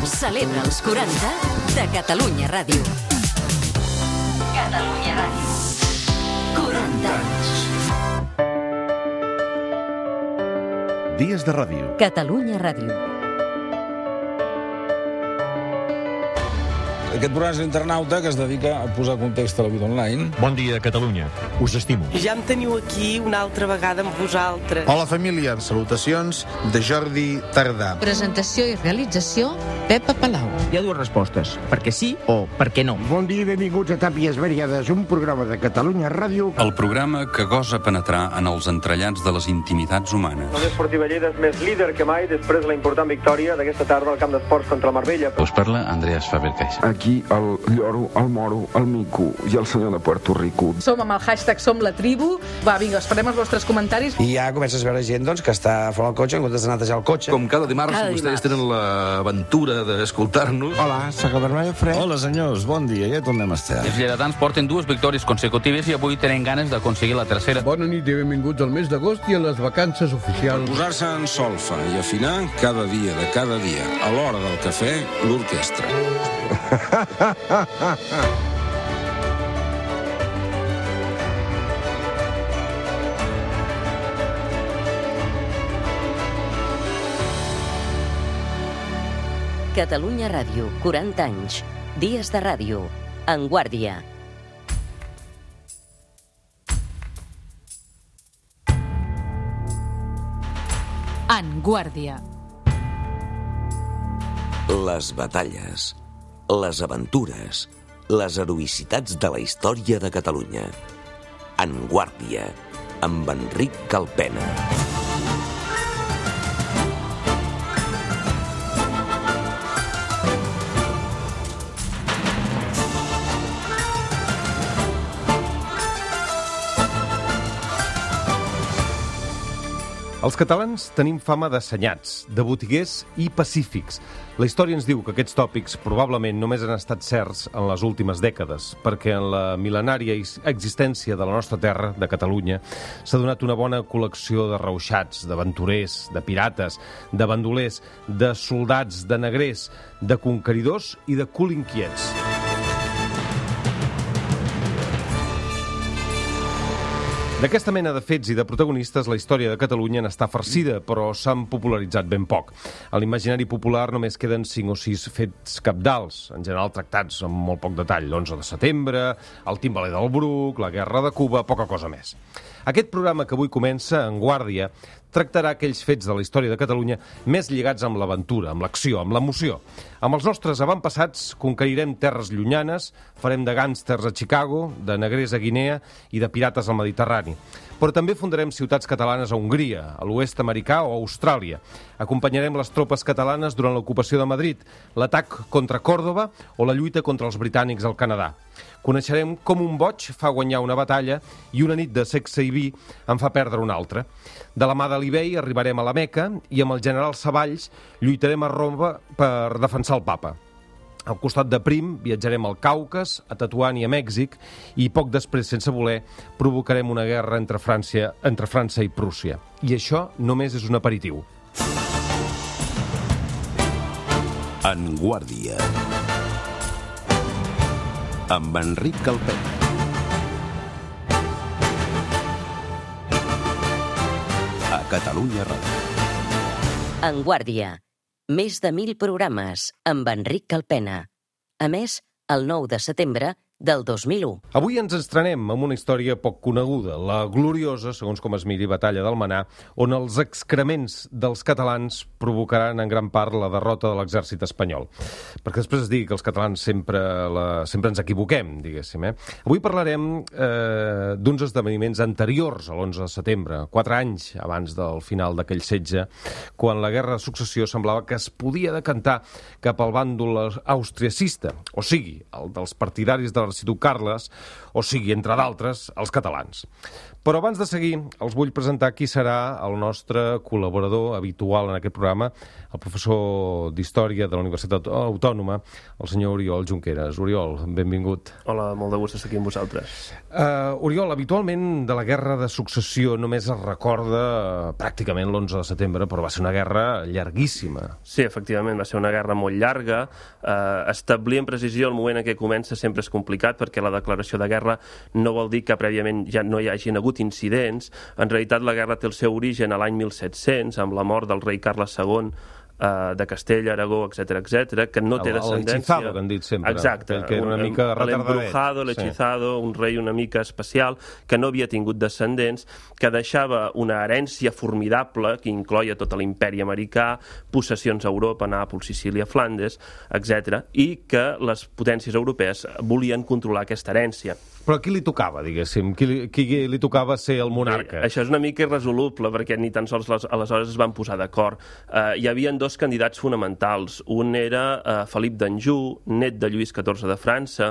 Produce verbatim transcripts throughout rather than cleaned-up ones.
celebra els quaranta de Catalunya Ràdio. Catalunya Ràdio. quaranta anys. Dies de ràdio. Catalunya Ràdio. Aquest programa és l'Internauta, que es dedica a posar context a la vida online. Bon dia, Catalunya. Us estimo. Ja em teniu aquí una altra vegada amb vosaltres. Hola, família. Salutacions de Jordi Tardà. Presentació i realització, Pepa Palau. Hi ha dues respostes, perquè sí o perquè no. Bon dia i benvinguts a Tàpies Variades, un programa de Catalunya Ràdio. El programa que gosa penetrar en els entrellats de les intimitats humanes. El Esportiva Lleida és més líder que mai després de la important victòria d'aquesta tarda al camp d'esports contra el Marbella. Us parla Andreas Faber-Caixa. Aquí el lloro, el moro, el mico i el senyor de Puerto Rico. Som amb el hashtag Som la Tribu. Va, vinga, esperem els vostres comentaris. I ja comences a veure gent doncs, que està fora del cotxe en comptes de netejar el cotxe. Com cada dimarts, cada vostès dimarts. tenen l'aventura d'escoltar-nos. Hola, soc el Bernal Fred. Hola, senyors, bon dia, ja tornem a estar. Els lleidatans porten dues victòries consecutives i avui tenen ganes d'aconseguir la tercera. Bona nit i benvinguts al mes d'agost i a les vacances oficials. Per posar-se en solfa i afinar cada dia de cada dia, a l'hora del cafè, l'orquestra. Catalunya Ràdio, quaranta anys. Dies de ràdio. En Guàrdia. En Guàrdia. Les batalles, les aventures, les heroïcitats de la història de Catalunya. En Guàrdia, amb Enric Calpena. Els catalans tenim fama d'assenyats, de botiguers i pacífics. La història ens diu que aquests tòpics probablement només han estat certs en les últimes dècades, perquè en la mil·lenària existència de la nostra terra, de Catalunya, s'ha donat una bona col·lecció de reuixats, d'aventurers, de pirates, de bandolers, de soldats, de negrers, de conqueridors i de cul inquiets. D'aquesta mena de fets i de protagonistes, la història de Catalunya n'està farcida, però s'han popularitzat ben poc. A l'imaginari popular només queden cinc o sis fets cabdals, en general tractats amb molt poc detall. l'onze de setembre, el timbaler del Bruc, la guerra de Cuba, poca cosa més. Aquest programa que avui comença, En Guàrdia, tractarà aquells fets de la història de Catalunya més lligats amb l'aventura, amb l'acció, amb l'emoció. Amb els nostres avantpassats conquerirem terres llunyanes, farem de gàngsters a Chicago, de negrers a Guinea i de pirates al Mediterrani. Però també fundarem ciutats catalanes a Hongria, a l'oest americà o a Austràlia. Acompanyarem les tropes catalanes durant l'ocupació de Madrid, l'atac contra Còrdova o la lluita contra els britànics al Canadà. Coneixerem com un boig fa guanyar una batalla i una nit de sexe i vi en fa perdre una altra. De la mà de l'Ibei arribarem a la Meca i amb el general Savalls lluitarem a Roma per defensar el papa. Al costat de Prim viatjarem al Caucas, a Tetuan i a Mèxic i poc després, sense voler, provocarem una guerra entre França, entre França i Prússia. I això només és un aperitiu. En Guàrdia, amb Enric Calpena. A Catalunya Ràdio. En Guàrdia. Més de mil programes amb Enric Calpena. A més, el nou de setembre del dos mil u. Avui ens estrenem amb una història poc coneguda, la gloriosa, segons com es miri, batalla d'Almenar, on els excrements dels catalans provocaran en gran part la derrota de l'exèrcit espanyol. Perquè després es digui que els catalans sempre, la, sempre ens equivoquem, diguéssim. Eh? Avui parlarem eh, d'uns esdeveniments anteriors a l'onze de setembre, quatre anys abans del final d'aquell setge, quan la guerra de successió semblava que es podia decantar cap al bàndol austriacista, o sigui, el dels partidaris de l'Arxiduc Carles, o sigui, entre d'altres, els catalans. Però abans de seguir, els vull presentar qui serà el nostre col·laborador habitual en aquest programa, el professor d'Història de la Universitat Autònoma, el senyor Oriol Junqueras. Oriol, benvingut. Hola, molt de gust estar aquí amb vosaltres. Uh, Oriol, habitualment de la Guerra de Successió només es recorda uh, pràcticament l'onze de setembre, però va ser una guerra llarguíssima. Sí, efectivament, va ser una guerra molt llarga. Uh, establir en precisió el moment en què comença sempre és complicat, perquè la declaració de guerra no vol dir que prèviament ja no hi hagin hagut incidents. En realitat, la guerra té el seu origen a l'any mil set-cents, amb la mort del rei Carles segon uh, de Castella, Aragó, etcètera, etcètera, que no té descendència. L'hechizado, que han dit sempre. Exacte. Que era una mica retardadet. L'embrujado, l'hechizado, sí. Un rei una mica especial, que no havia tingut descendents, que deixava una herència formidable, que incloia tot l'imperi americà, possessions a Europa, Nàpols, Sicília, Flandes, etcètera, i que les potències europees volien controlar aquesta herència. Però a qui li tocava, diguéssim? Qui li, qui li tocava ser el monarca? Bé, això és una mica irresoluble, perquè ni tan sols les, aleshores es van posar d'acord. Uh, hi havia dos candidats fonamentals. Un era uh, Felip d'Anjou, net de Lluís catorze de França,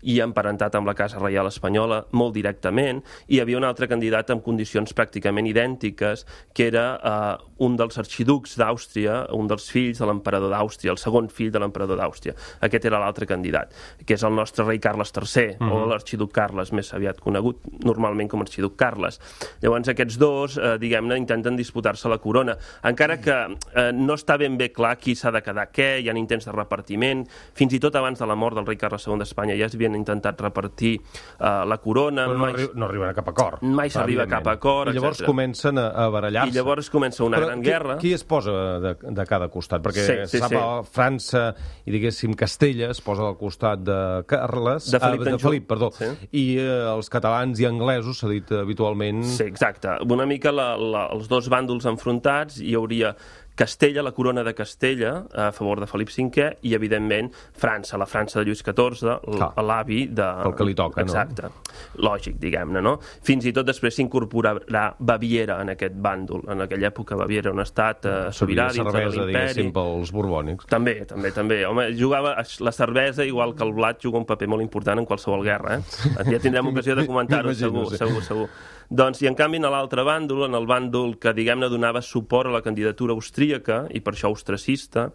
i emparentat amb la Casa Reial Espanyola molt directament, i hi havia un altre candidat amb condicions pràcticament idèntiques, que era uh, un dels arxiducs d'Àustria, un dels fills de l'emperador d'Àustria, el segon fill de l'emperador d'Àustria. Aquest era l'altre candidat, que és el nostre rei Carles tercer, mm-hmm. o l'arxiduc Carles, més aviat conegut normalment com arxiduc Carles. Llavors aquests dos, eh, diguem-ne, intenten disputar-se la corona, encara que eh, no està ben bé clar qui s'ha de quedar què, hi ha intents de repartiment, fins i tot abans de la mort del rei Carles segon d'Espanya ja s'havien intentat repartir eh, la corona. Però no, mai, no arriben a cap acord. Mai s'arriba a cap acord, I llavors etcètera. Comencen a, a barallar-se. I llavors comença una Però gran qui, guerra. Qui es posa de, de cada costat? Perquè sí, sí, sap, sí. França i, diguéssim, Castella es posa al costat de Carles, de Felip, ah, de Felip perdó, sí. i eh, els catalans i anglesos, s'ha dit habitualment... Sí, exacte. Una mica la, la, els dos bàndols enfrontats, hi hauria Castella, la corona de Castella, a favor de Felip cinquè, i, evidentment, França, la França de Lluís catorze, l'avi de... El que li toca, exacte. No? Lògic, diguem-ne, no? Fins i tot després s'incorporarà Baviera en aquest bàndol. En aquella època Baviera era un estat eh, sobirà dins de l'imperi. Diguéssim, pels borbònics. També, també, també. Home, jugava la cervesa, igual que el blat, juga un paper molt important en qualsevol guerra, eh? Ja tindrem ocasió de comentar-ho, segur, sí. segur, segur. Doncs, i en canvi, en l'altre bàndol, en el bàndol que, diguem-ne, donava suport a la candidatura austríaca, i per això austracista,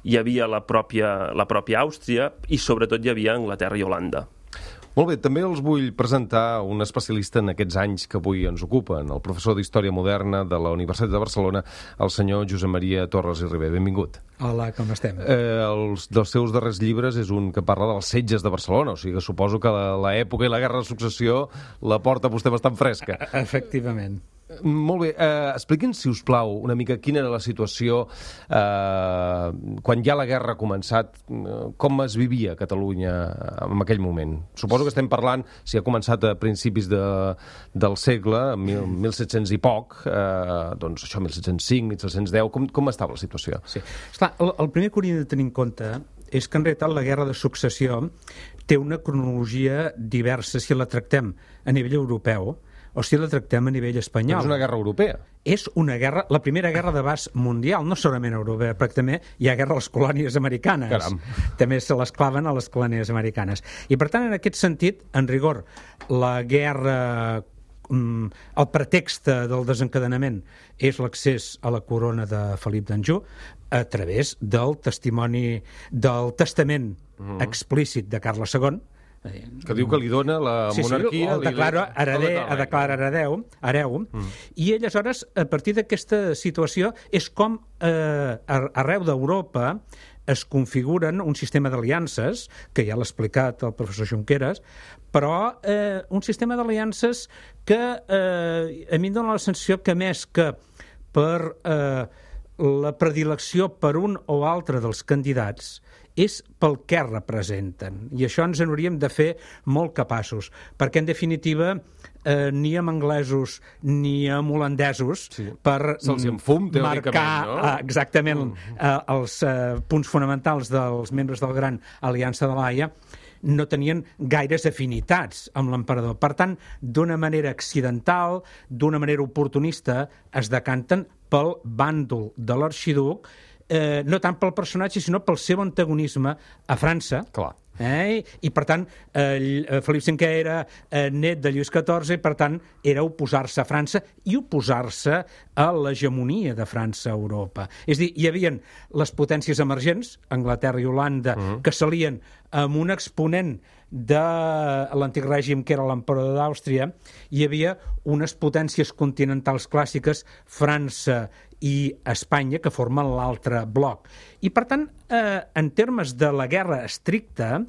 hi havia la pròpia, la pròpia Àustria, i sobretot hi havia Anglaterra i Holanda. Molt bé, també els vull presentar un especialista en aquests anys que avui ens ocupen, el professor d'Història Moderna de la Universitat de Barcelona, el senyor Josep Maria Torres i Ribé. Benvingut. Hola, com estem? Eh, els dels seus darrers llibres és un que parla dels setges de Barcelona, o sigui que suposo que l'època i la Guerra de Successió la porta vostè bastant fresca. Efectivament. Molt bé, eh, expliqui'ns, si us plau, una mica quina era la situació eh, quan ja la guerra ha començat, eh, com es vivia a Catalunya en aquell moment. Suposo que estem parlant, si ha començat a principis de, del segle, mil, mil set-cents i poc, eh, doncs això, mil set-cents cinc, mil set-cents deu, com, com estava la situació? Sí. Esclar, el, el primer que hauríem de tenir en compte és que en realitat la Guerra de Successió té una cronologia diversa si la tractem a nivell europeu o si la tractem a nivell espanyol. Però és una guerra europea. És una guerra, la primera guerra d'abast mundial, no solament europea, perquè també hi ha guerra a les colònies americanes. Caram. També se les claven a les colònies americanes. I per tant, en aquest sentit, en rigor, la guerra, el pretext del desencadenament és l'accés a la corona de Felip d'Anjou a través del testimoni, del testament mm-hmm. explícit de Carles segon, que diu que li dona la sí, monarquia... Sí, el declara heredè, el declara heredeu, hereu, mm. i aleshores, a partir d'aquesta situació, és com eh, arreu d'Europa es configuren un sistema d'aliances, que ja l'ha explicat el professor Junqueras, però eh, un sistema d'aliances que eh, a mi em dona la sensació que més que per eh, la predilecció per un o altre dels candidats és pel que representen. I això ens en hauríem de fer molt capaços, perquè, en definitiva, eh, ni amb anglesos ni amb holandesos sí. per se'ls enfum, marcar no? eh, exactament mm. eh, els eh, punts fonamentals dels membres del Gran Aliança de l'Haia, no tenien gaires afinitats amb l'emperador. Per tant, d'una manera accidental, d'una manera oportunista, es decanten pel bàndol de l'arxiduc, eh, no tant pel personatge, sinó pel seu antagonisme a França, Clar. Eh? I, per tant, eh, Felip cinquè era eh, net de Lluís catorze i, per tant, era oposar-se a França i oposar-se a l'hegemonia de França a Europa. És a dir, hi havia les potències emergents, Anglaterra i Holanda, uh-huh. que s'alien amb un exponent de l'antic règim, que era l'emperador d'Àustria. Hi havia unes potències continentals clàssiques, França i Espanya, que formen l'altre bloc. I, per tant, eh, en termes de la guerra estricta,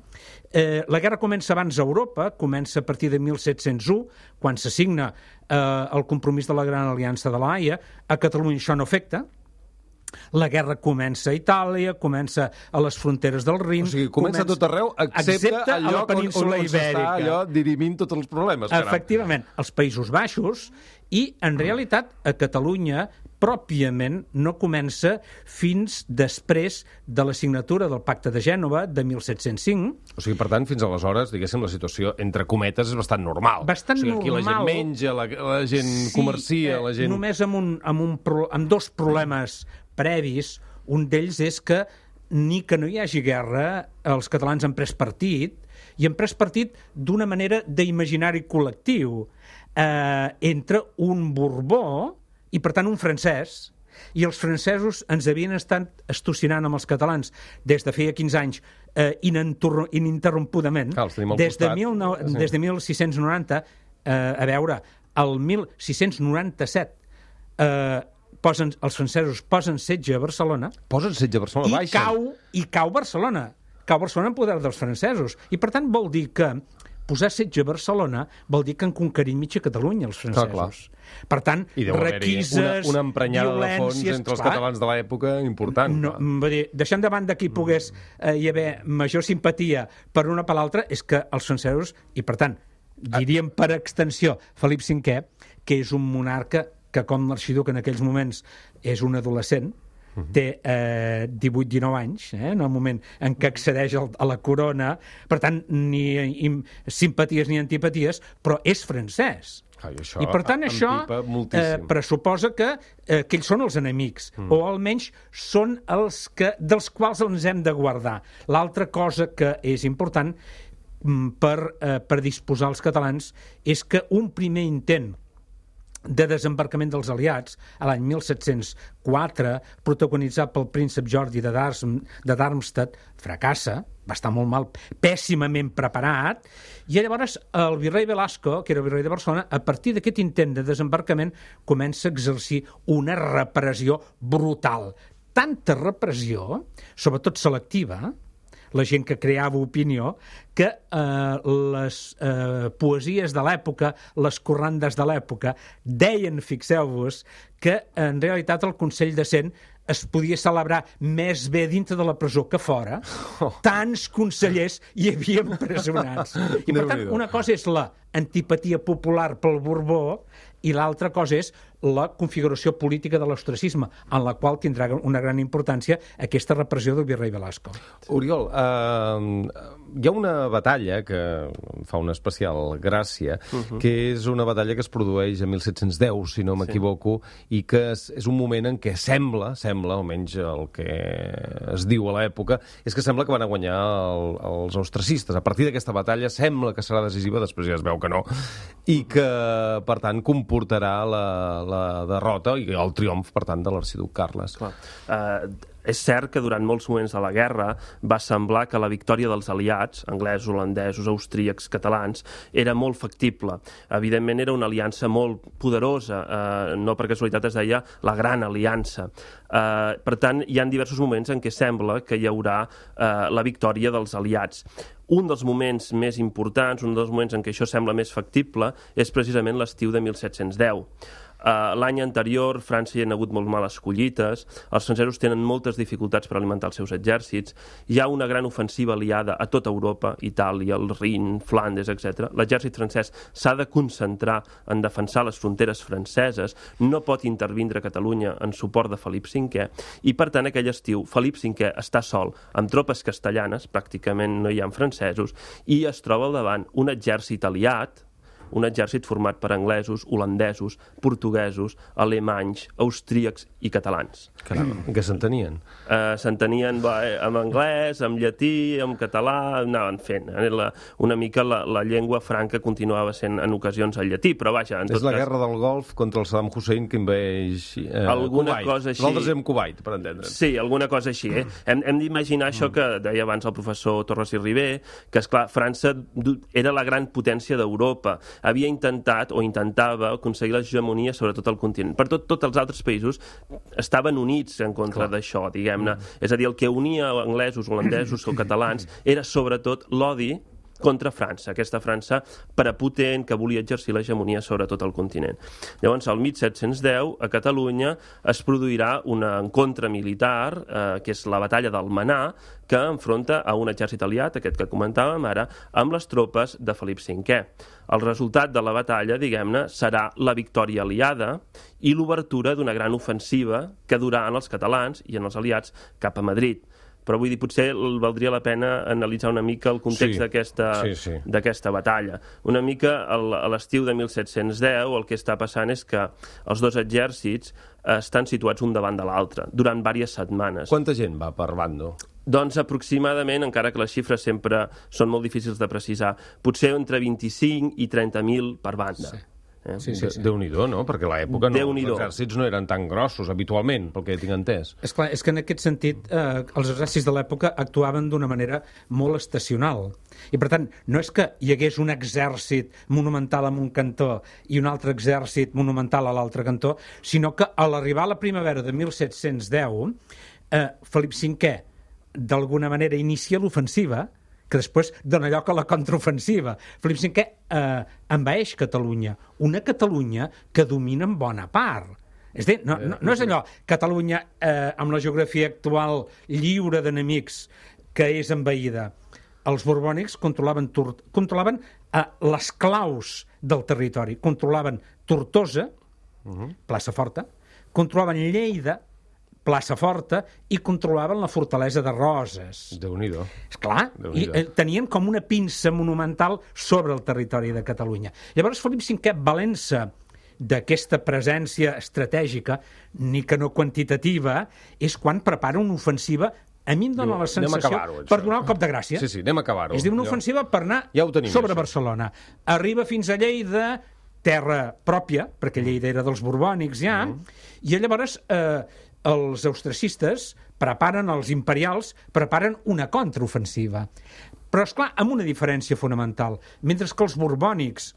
eh, la guerra comença abans a Europa, comença a partir de mil set-cents u, quan s'assigna eh, el compromís de la Gran Aliança de la Haia. A Catalunya això no afecta. La guerra comença a Itàlia, comença a les fronteres del Rin... O sigui, comença, comença tot arreu, excepte, excepte al lloc on, on, on s'està allò dirimint tots els problemes. Caram. Efectivament, als Països Baixos, i en realitat a Catalunya pròpiament no comença fins després de la signatura del Pacte de Gènova de mil set-cents cinc. O sigui, per tant, fins aleshores, diguéssim, la situació, entre cometes, és bastant normal. Bastant normal. O sigui, aquí normal. la gent menja, la, la gent sí, comercia, la gent... Només amb, un, amb, un, amb dos problemes previs. Un d'ells és que ni que no hi hagi guerra, els catalans han pres partit, i han pres partit d'una manera d'imaginari col·lectiu eh, entre un Borbó i, per tant, un francès. I els francesos ens havien estat estocinant amb els catalans des de feia quinze anys eh, ininterrompudament. Cal, des, de mil nou, sí. des de mil sis-cents noranta, eh, a veure, el mil sis-cents noranta-set eh, posen, els francesos posen setge a Barcelona. Posen setge a Barcelona, i baixen. Cau, I cau Barcelona. Cau Barcelona en poder dels francesos. I, per tant, vol dir que posar setge a Barcelona vol dir que han conquerit mitja Catalunya, els francesos. Clar, clar. Per tant, requises, una, una emprenyada de fons entre els clar, catalans de l'època important. No, dir, deixant de banda que hi pogués eh, hi haver major simpatia per una per l'altra, és que els francesos, i per tant, diríem per extensió Felip cinquè, que és un monarca que, com l'arxiduc en aquells moments és un adolescent, uh-huh. té eh, divuit dinou anys, eh, en el moment en què accedeix al, a la corona, per tant, ni i, simpaties ni antipaties, però és francès. Ai, això, I, per tant, això eh, pressuposa que, eh, que ells són els enemics, mm. o almenys són els que, dels quals ens hem de guardar. L'altra cosa que és important per, eh, per disposar els catalans és que un primer intent de desembarcament dels aliats a l'any mil set-cents quatre, protagonitzat pel príncep Jordi de, Darm, de Darmstadt, fracassa, va estar molt mal, pèssimament preparat, i llavors el virrei Velasco, que era el virrei de Barcelona, a partir d'aquest intent de desembarcament comença a exercir una repressió brutal. Tanta repressió, sobretot selectiva, la gent que creava opinió, que eh, les eh, poesies de l'època, les corrandes de l'època, deien, fixeu-vos, que en realitat el Consell de Cent es podia celebrar més bé dintre de la presó que fora. Oh. Tants consellers hi havia empresonats. I, per tant, una cosa és la antipatia popular pel Borbó i l'altra cosa és la configuració política de l'ostracisme, en la qual tindrà una gran importància aquesta repressió del virrei Velasco. Oriol, eh, hi ha una batalla que fa una especial gràcia, uh-huh. que és una batalla que es produeix a mil set-cents deu, si no m'equivoco, sí. i que és, és un moment en què sembla, sembla, almenys el que es diu a l'època, és que sembla que van a guanyar el, els ostracistes. A partir d'aquesta batalla sembla que serà decisiva, després ja es veu que no, i que, per tant, comportarà la, la derrota i el triomf, per tant, de l'arxiduc Carles. Clar. Uh, és cert que durant molts moments de la guerra va semblar que la victòria dels aliats, anglesos, holandesos, austríacs, catalans, era molt factible. Evidentment era una aliança molt poderosa, eh, no per casualitat es deia la Gran Aliança. Eh, per tant, hi ha diversos moments en què sembla que hi haurà eh, la victòria dels aliats. Un dels moments més importants, un dels moments en què això sembla més factible, és precisament l'estiu de mil set-cents deu. Uh, l'any anterior, França hi ha hagut molt males collites, els francesos tenen moltes dificultats per alimentar els seus exèrcits, hi ha una gran ofensiva aliada a tota Europa, Itàlia, el Rin, Flandes, etcètera. L'exèrcit francès s'ha de concentrar en defensar les fronteres franceses, no pot intervindre a Catalunya en suport de Felip cinquè, i per tant aquell estiu Felip cinquè està sol, amb tropes castellanes, pràcticament no hi ha francesos, i es troba al davant un exèrcit aliat, un exèrcit format per anglesos, holandesos, portuguesos, alemanys, austríacs i catalans. Caram, què s'entenien? Uh, s'entenien va, en anglès, en llatí, en català, anaven fent. La, una mica la, la llengua franca continuava sent en ocasions el llatí, però vaja... En tot és la cas, guerra del Golf contra el Saddam Hussein que envaeix eh, alguna Kuwait. Cosa així. Nosaltres hem Kuwait, per entendre'ns. Sí, alguna cosa així. Eh? Hem, hem d'imaginar mm. això que deia abans el professor Torres i Ribé, que, esclar, França era la gran potència d'Europa. Havia intentat, o intentava, aconseguir l'hegemonia sobre tot el continent. Per tot, tots els altres països estaven units en contra d'això, diguem-ne. Mm. És a dir, el que unia anglesos, holandesos o catalans era sobretot l'odi contra França, aquesta França prepotent que volia exercir l'hegemonia sobre tot el continent. Llavors, el mil set-cents deu, a Catalunya es produirà un encontre militar, eh, que és la batalla d'Almenar, que enfronta a un exèrcit aliat, aquest que comentàvem ara, amb les tropes de Felip cinquè. El resultat de la batalla, diguem-ne, serà la victòria aliada i l'obertura d'una gran ofensiva que durà en els catalans i en els aliats cap a Madrid. Però vull dir, potser valdria la pena analitzar una mica el context sí, d'aquesta sí, sí. d'aquesta batalla. Una mica a l'estiu de mil set-cents deu el que està passant és que els dos exèrcits estan situats un davant de l'altre durant diverses setmanes. Quanta gent va per bando? Doncs aproximadament, encara que les xifres sempre són molt difícils de precisar, potser entre vint-i-cinc i trenta mil per banda. Sí. Eh? Sí, sí, sí. Déu-n'hi-do, no? Perquè a l'època no, els exèrcits no eren tan grossos, habitualment, pel que tinc entès. És clar, és que en aquest sentit eh, els exèrcits de l'època actuaven d'una manera molt estacional. I, per tant, no és que hi hagués un exèrcit monumental en un cantó i un altre exèrcit monumental a l'altre cantó, sinó que a l'arribar a la primavera de mil set-cents deu, eh, Felip cinquè, d'alguna manera, inicia l'ofensiva, que després dona lloc a la contraofensiva. Felip cinquè eh, envaeix Catalunya, una Catalunya que domina en bona part. És dir, no, no, no és allò, Catalunya eh, amb la geografia actual lliure d'enemics que és envaïda. Els borbònics controlaven, controlaven eh, les claus del territori, controlaven Tortosa, uh-huh. plaça Forta, controlaven Lleida, plaça Forta, i controlaven la fortalesa de Roses. Déu-n'hi-do. Esclar, i eh, tenien com una pinça monumental sobre el territori de Catalunya. Llavors, Felip cinquè, valent-se d'aquesta presència estratègica, ni que no quantitativa, és quan prepara una ofensiva. A mi em dóna la sensació per donar el cop de gràcia. Sí, sí, anem a acabar-ho. És dir, una ofensiva per anar ja tenim, sobre això. Barcelona. Arriba fins a Lleida, terra pròpia, perquè Lleida era dels borbònics ja, mm. i llavors eh, els austriacistes preparen, els imperials, preparen una contraofensiva. Però, esclar, amb una diferència fonamental. Mentre que els borbònics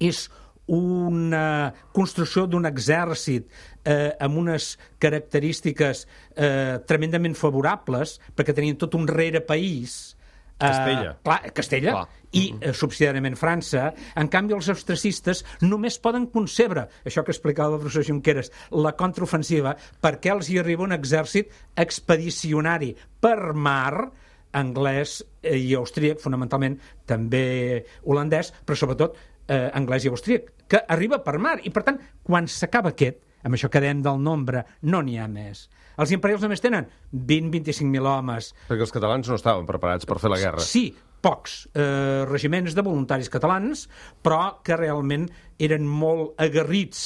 és una construcció d'un exèrcit eh, amb unes característiques eh, tremendament favorables, perquè tenien tot un rerepaís, Castella. Uh, clar, Castella clar. I uh, subsidiàriament França. En canvi, els austriacistes només poden concebre, això que explicava el professor Junqueras, la contraofensiva, perquè els hi arriba un exèrcit expedicionari per mar, anglès i austríac, fonamentalment també holandès, però sobretot eh, anglès i austríac, que arriba per mar. I, per tant, quan s'acaba aquest, amb això que dèiem del nombre, no n'hi ha més. Els imperials només tenen vint a vint-i-cinc mil homes. Perquè els catalans no estaven preparats per fer la guerra. Sí, pocs eh, regiments de voluntaris catalans, però que realment eren molt aguerrits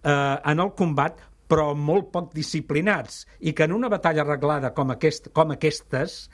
eh, en el combat, però molt poc disciplinats, i que en una batalla arreglada com, aquest, com aquestes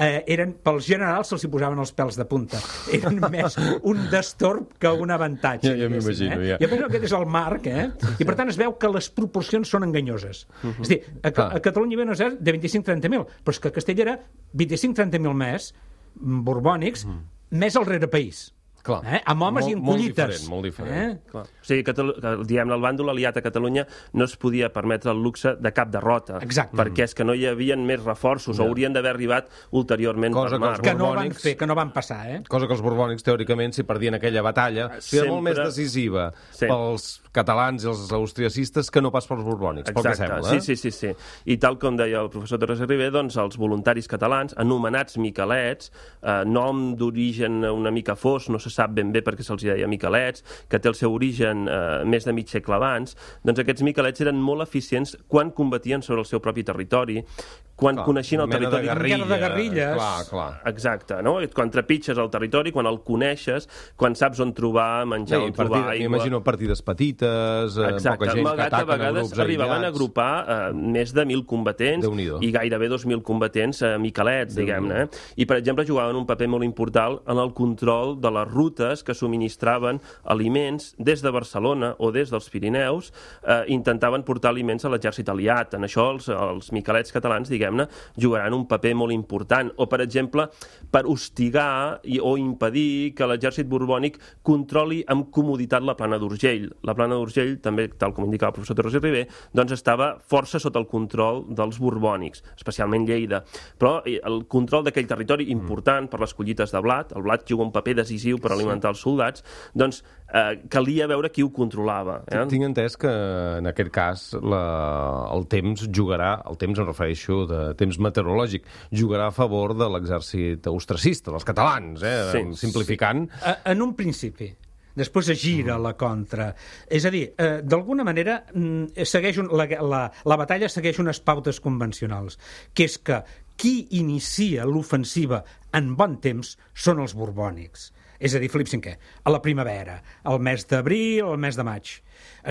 eh, eren, pels generals se'ls hi posaven els pèls de punta. Eren més un destorb que un avantatge. Ja, ja m'imagino, eh? ja. I penso que aquest és el marc, eh? I per tant es veu que les proporcions són enganyoses. Uh-huh. És a dir, a, a Catalunya hi havia un exèrcit de vint-i-cinc a trenta mil, però és que a Castella era vint-i-cinc a trenta mil més, borbònics, uh-huh. més el rerepaís. Clar. Eh? Amb homes molt, i en collites. Molt diferent, molt diferent. Eh? Clar. O sigui, Catalu diguem, el bàndol aliat a Catalunya no es podia permetre el luxe de cap derrota. Exacte. Perquè és que no hi havia més reforços, no. o haurien d'haver arribat ulteriorment cosa per mar. Que, que no van fer, que no van passar, eh? Cosa que els borbònics, teòricament, si perdien aquella batalla, Sempre... era molt més decisiva sí. pels catalans i els austriacistes que no pas pels borbònics, pel que sembla. Eh? Sí, sí, sí, sí. I tal com deia el professor Torres i Ribé, doncs els voluntaris catalans, anomenats miquelets, eh, nom d'origen una mica fos, no se sap ben bé perquè se'ls deia miquelets, que té el seu origen eh, més de mig segle abans, doncs aquests miquelets eren molt eficients quan combatien sobre el seu propi territori, quan clar, coneixien el territori. Una guerra de guerrilles. Clar, clar. Exacte, no? Quan trepitges el territori, quan el coneixes, quan saps on trobar menjar, Sí, on trobar aigua... M'imagino partides petites, eh, Exacte, poca gent que malgrat que a ataquen a vegades grups arribaven a aïllats. agrupar eh, més de mil combatents i gairebé dos mil combatents eh, miquelets, diguem-ne. Eh? I, per exemple, jugaven un paper molt important en el control de les rutes que subministraven aliments des de Barcelona o des dels Pirineus, eh, intentaven portar aliments a l'exèrcit aliat. En això els, els miquelets catalans, diguem-ne, jugaran un paper molt important. O, per exemple, per hostigar i, o impedir que l'exèrcit borbònic controli amb comoditat la plana d'Urgell. La plana d'Urgell, també, tal com indicava el professor Torres i Ribé, doncs estava força sota el control dels borbònics, especialment Lleida. Però el control d'aquell territori important per les collites de blat, el blat juga un paper decisiu per alimentar els soldats, doncs eh, calia veure qui ho controlava. Eh? Tinc entès que en aquest cas la, el temps jugarà, el temps em refereixo de temps meteorològic, jugarà a favor de l'exèrcit austracista, dels catalans, eh? Sí, simplificant. Sí. En un principi. Després es gira la contra. És a dir, eh, d'alguna manera segueix un, la, la, la batalla segueix unes pautes convencionals, que és que qui inicia l'ofensiva en bon temps són els borbònics. És a dir, Felip cinquè, a la primavera, al mes d'abril, al mes de maig.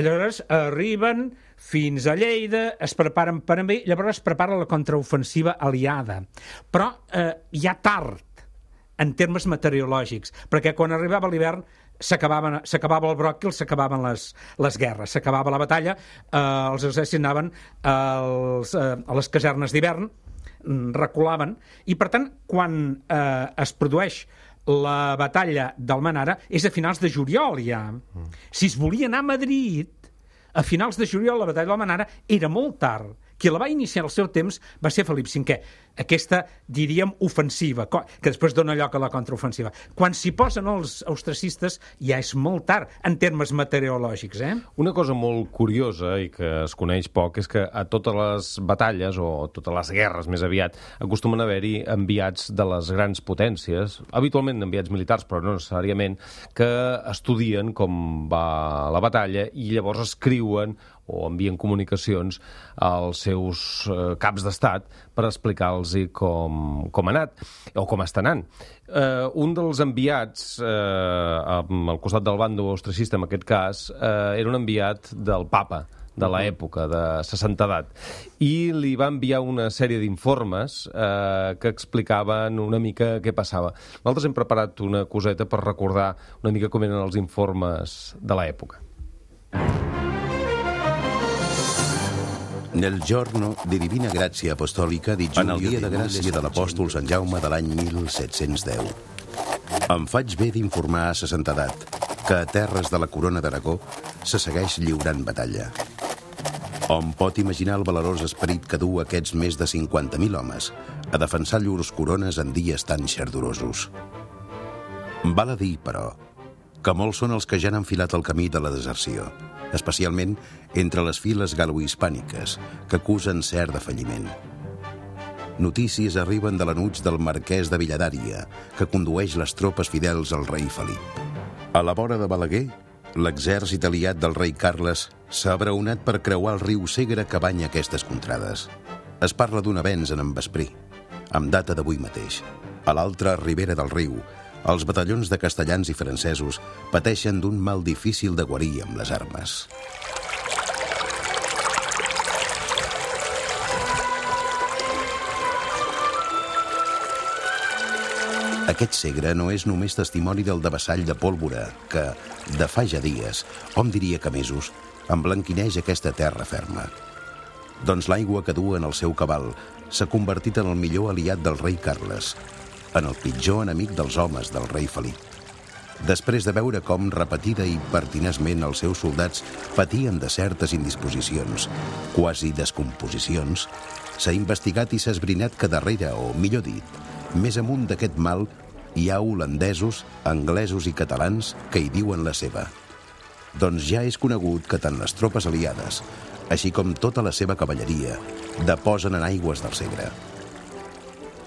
Llavors arriben fins a Lleida, es preparen per amb ell, llavors es prepara la contraofensiva aliada. Però eh, ja tard, en termes meteorològics, perquè quan arribava l'hivern s'acabava el bròquil, s'acabaven les, les guerres, s'acabava la batalla, eh, els exèrcits anaven als, eh, a les casernes d'hivern, reculaven, i per tant, quan eh, es produeix la batalla d'Almenara, és a finals de juliol ja. Si es volia anar a Madrid, a finals de juliol la batalla d'Almenara era molt tard. Qui la va iniciar al seu temps va ser Felip cinquè. Aquesta, diríem, ofensiva, que després dona lloc a la contraofensiva. Quan s'hi posen els austracistes ja és molt tard, en termes meteorològics. Eh? Una cosa molt curiosa i que es coneix poc és que a totes les batalles, o totes les guerres més aviat, acostumen a haver-hi enviats de les grans potències, habitualment enviats militars, però no necessàriament, que estudien com va la batalla i llavors escriuen o envien comunicacions als seus eh, caps d'estat per explicar-los com, com ha anat o com està anant. Eh, un dels enviats, eh, al costat del bàndol austracista, en aquest cas, eh, era un enviat del papa de l'època, de sa santedat, i li va enviar una sèrie d'informes eh, que explicaven una mica què passava. Nosaltres hem preparat una coseta per recordar una mica com eren els informes de l'època. Nel giorno di divina grazia apostòlica di Giulio, en el dia de gràcia de l'apòstol Sant Jaume de l'any mil set-cents deu. Em faig bé d'informar a sa santedat que a terres de la corona d'Aragó se segueix lliurant batalla. Hom pot imaginar el valerós esperit que du aquests més de cinquanta mil homes a defensar llurs corones en dies tan xardorosos. Val a dir, però, que molts són els que ja han enfilat el camí de la deserció, especialment entre les files galo-hispàniques, que acusen cert defalliment. Notícies arriben de l'anuig del marquès de Villadària, que condueix les tropes fidels al rei Felip. A la vora de Balaguer, l'exèrcit aliat del rei Carles s'ha abraonat per creuar el riu Segre que banya aquestes contrades. Es parla d'un avenç en Vesprí, amb data d'avui mateix. A l'altra ribera del riu, els batallons de castellans i francesos pateixen d'un mal difícil de guarir amb les armes. Aquest Segre no és només testimoni del devessall de pólvora que, de fa ja dies, hom diria que mesos, emblanquineix aquesta terra ferma. Doncs l'aigua que du en el seu cabal s'ha convertit en el millor aliat del rei Carles, en el pitjor enemic dels homes del rei Felip. Després de veure com repetida i pertinaçment els seus soldats patien de certes indisposicions, quasi descomposicions, s'ha investigat i s'ha esbrinat que darrere, o millor dit, més amunt d'aquest mal, hi ha holandesos, anglesos i catalans que hi diuen la seva. Doncs ja és conegut que tant les tropes aliades, així com tota la seva cavalleria, deposen en aigües del Segre.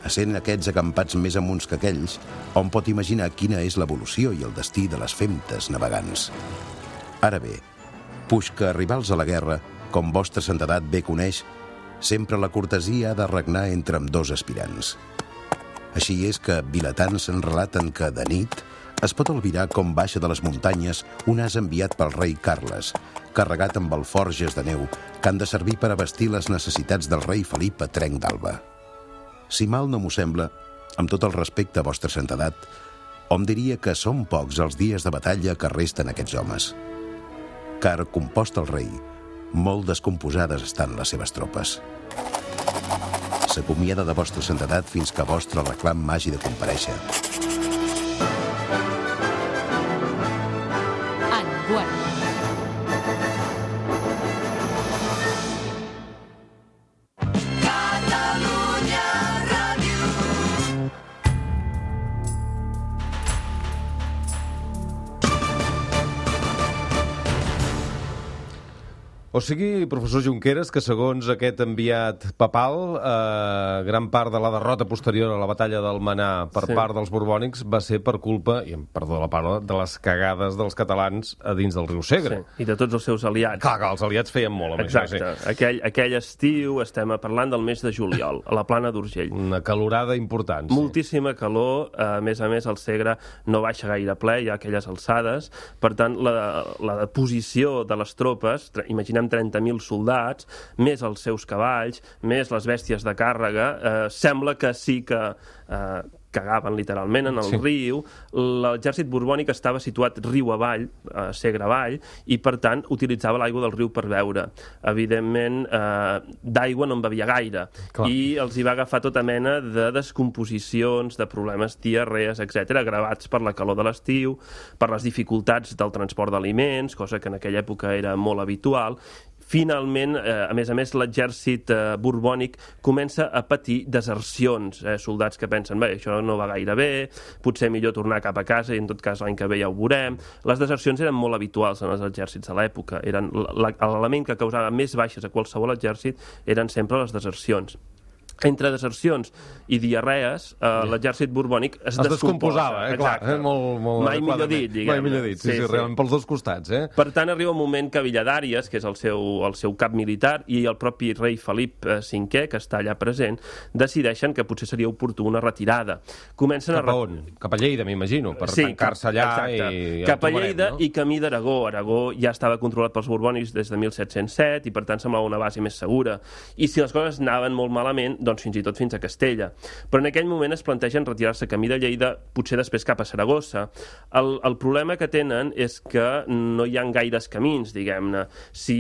Essent aquests acampats més amunts que aquells, hom pot imaginar quina és l'evolució i el destí de les femtes navegants. Ara bé, puix que arribals a la guerra, com vostra santedat bé coneix, sempre la cortesia ha de regnar entre ambdós aspirants. Així és que vilatans en relaten que, de nit, es pot albirar com baixa de les muntanyes un as enviat pel rei Carles, carregat amb alforges de neu que han de servir per abastir les necessitats del rei Felip a trenc d'alba. Si mal no m'ho sembla, amb tot el respecte a vostra santedat, hom diria que són pocs els dies de batalla que resten aquests homes. Car, compost el rei, molt descomposades estan les seves tropes. S'acomiada de vostra santedat fins que vostre reclam hagi de comparèixer. O sigui, professor Junqueras, que segons aquest enviat papal, eh, gran part de la derrota posterior a la batalla d'Almenar per sí. part dels borbònics va ser per culpa, i em perdó la paraula, de les cagades dels catalans a dins del riu Segre. Sí, i de tots els seus aliats. Clar, que els aliats feien molt amb Exacte. això. Sí. Aquell, aquell estiu, estem parlant del mes de juliol, a la plana d'Urgell. Una calorada important. Sí. Moltíssima calor, a més a més el Segre no baixa gaire ple, hi ha aquelles alçades, per tant la, la posició de les tropes, imaginem trenta mil soldats, més els seus cavalls, més les bèsties de càrrega, eh, sembla que sí que eh, cagaven literalment en el sí. riu. L'exèrcit borbònic estava situat riu avall, eh, Segre avall, i per tant utilitzava l'aigua del riu per beure. Evidentment, eh, d'aigua no en bevia gaire. Clar. I els hi va agafar tota mena de descomposicions, de problemes, diarrees, etcètera, agravats per la calor de l'estiu, per les dificultats del transport d'aliments, cosa que en aquella època era molt habitual. Finalment, eh, a més a més, l'exèrcit eh, borbònic comença a patir desercions. Eh, soldats que pensen, bé, això no va gaire bé, potser millor tornar cap a casa i en tot cas l'any que ve ja ho veurem. Les desercions eren molt habituals en els exèrcits de l'època. L'element que causava més baixes a qualsevol exèrcit eren sempre les desercions. Entre desercions i diarrees, eh, l'exèrcit borbònic es, es descomposava. Eh? Clar, eh? Molt, molt Mai millor dit, diguem. Mai millor dit, sí, sí, sí, sí. Realment pels dos costats. Eh? Per tant, arriba un moment que Villadàries, que és el seu, el seu cap militar, i el propi rei Felip cinquè, que està allà present, decideixen que potser seria oportú una retirada. Comencen cap a on? Cap a Lleida, m'imagino, per sí, tancar-se allà. Exacte. I ja cap a Lleida, no? I camí d'Aragó. Aragó ja estava controlat pels borbònics des de mil set-cents set i per tant semblava una base més segura. I si les coses anaven molt malament, doncs fins i tot fins a Castella. Però en aquell moment es plantegen retirar-se camí de Lleida, potser després cap a Saragossa. El, el problema que tenen és que no hi ha gaires camins, diguem-ne. Si,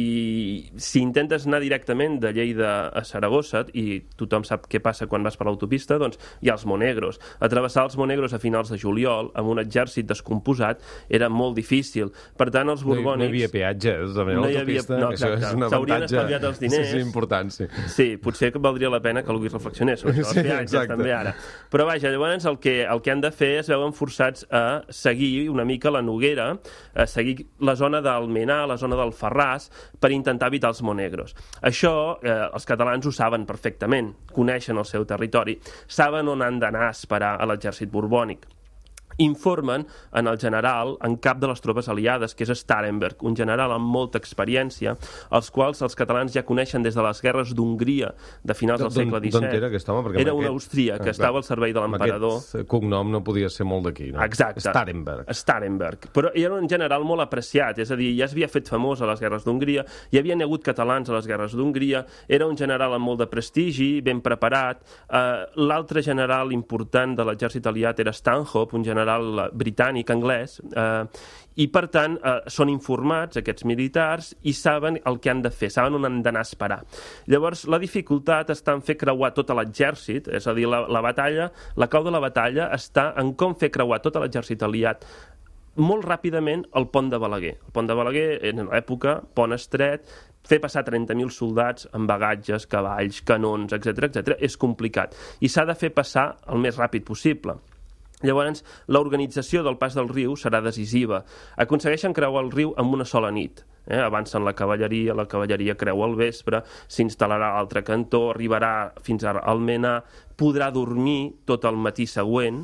si intentes anar directament de Lleida a Saragossa, i tothom sap què passa quan vas per l'autopista, doncs hi ha els Monegros. Atravessar els Monegros a finals de juliol amb un exèrcit descomposat era molt difícil. Per tant, els borbònics... No hi, no hi havia peatge, també, no l'autopista. No, exacte. S'haurien estalviat els diners. Sí, sí, important, sí. Sí, potser que valdria la pena que algú hi reflexionés sobre això, sí, els peatges, exacte. També ara. Però vaja, llavors el que, el que han de fer es veuen forçats a seguir una mica la Noguera, a seguir la zona d'Almenar, la zona del Ferràs, per intentar evitar els Monegros. Això eh, els catalans ho saben perfectament, coneixen el seu territori, saben on han d'anar a esperar a l'exèrcit borbònic. Informen en el general en cap de les tropes aliades, que és Starhemberg, un general amb molta experiència, els quals els catalans ja coneixen des de les guerres d'Hongria de finals del segle disset. D'on era aquest home? Perquè era un austríac que ah, estava al servei de l'emperador. Aquest cognom no podia ser molt d'aquí, no? Exacte. Starhemberg. Starhemberg. Però era un general molt apreciat, és a dir, ja s'havia fet famós a les guerres d'Hongria, hi havia hagut catalans a les guerres d'Hongria, era un general amb molt de prestigi, ben preparat. Uh, L'altre general important de l'exèrcit aliat era Stanhope, un general britànic, anglès, eh, i per tant eh, són informats aquests militars i saben el que han de fer, saben on han d'anar a esperar. Llavors la dificultat està en fer creuar tot l'exèrcit, és a dir, la, la batalla, la clau de la batalla està en com fer creuar tot l'exèrcit aliat molt ràpidament al pont de Balaguer. El pont de Balaguer, en l'època, pont estret, fer passar trenta mil soldats amb bagatges, cavalls, canons, etcètera, etcètera, és complicat. I s'ha de fer passar el més ràpid possible. Llavors, l'organització del pas del riu serà decisiva. Aconsegueixen creuar el riu en una sola nit. Eh? Avancen la cavalleria, la cavalleria creua al vespre, s'instal·larà a l'altre cantó, arribarà fins a Almenar, podrà dormir tot el matí següent,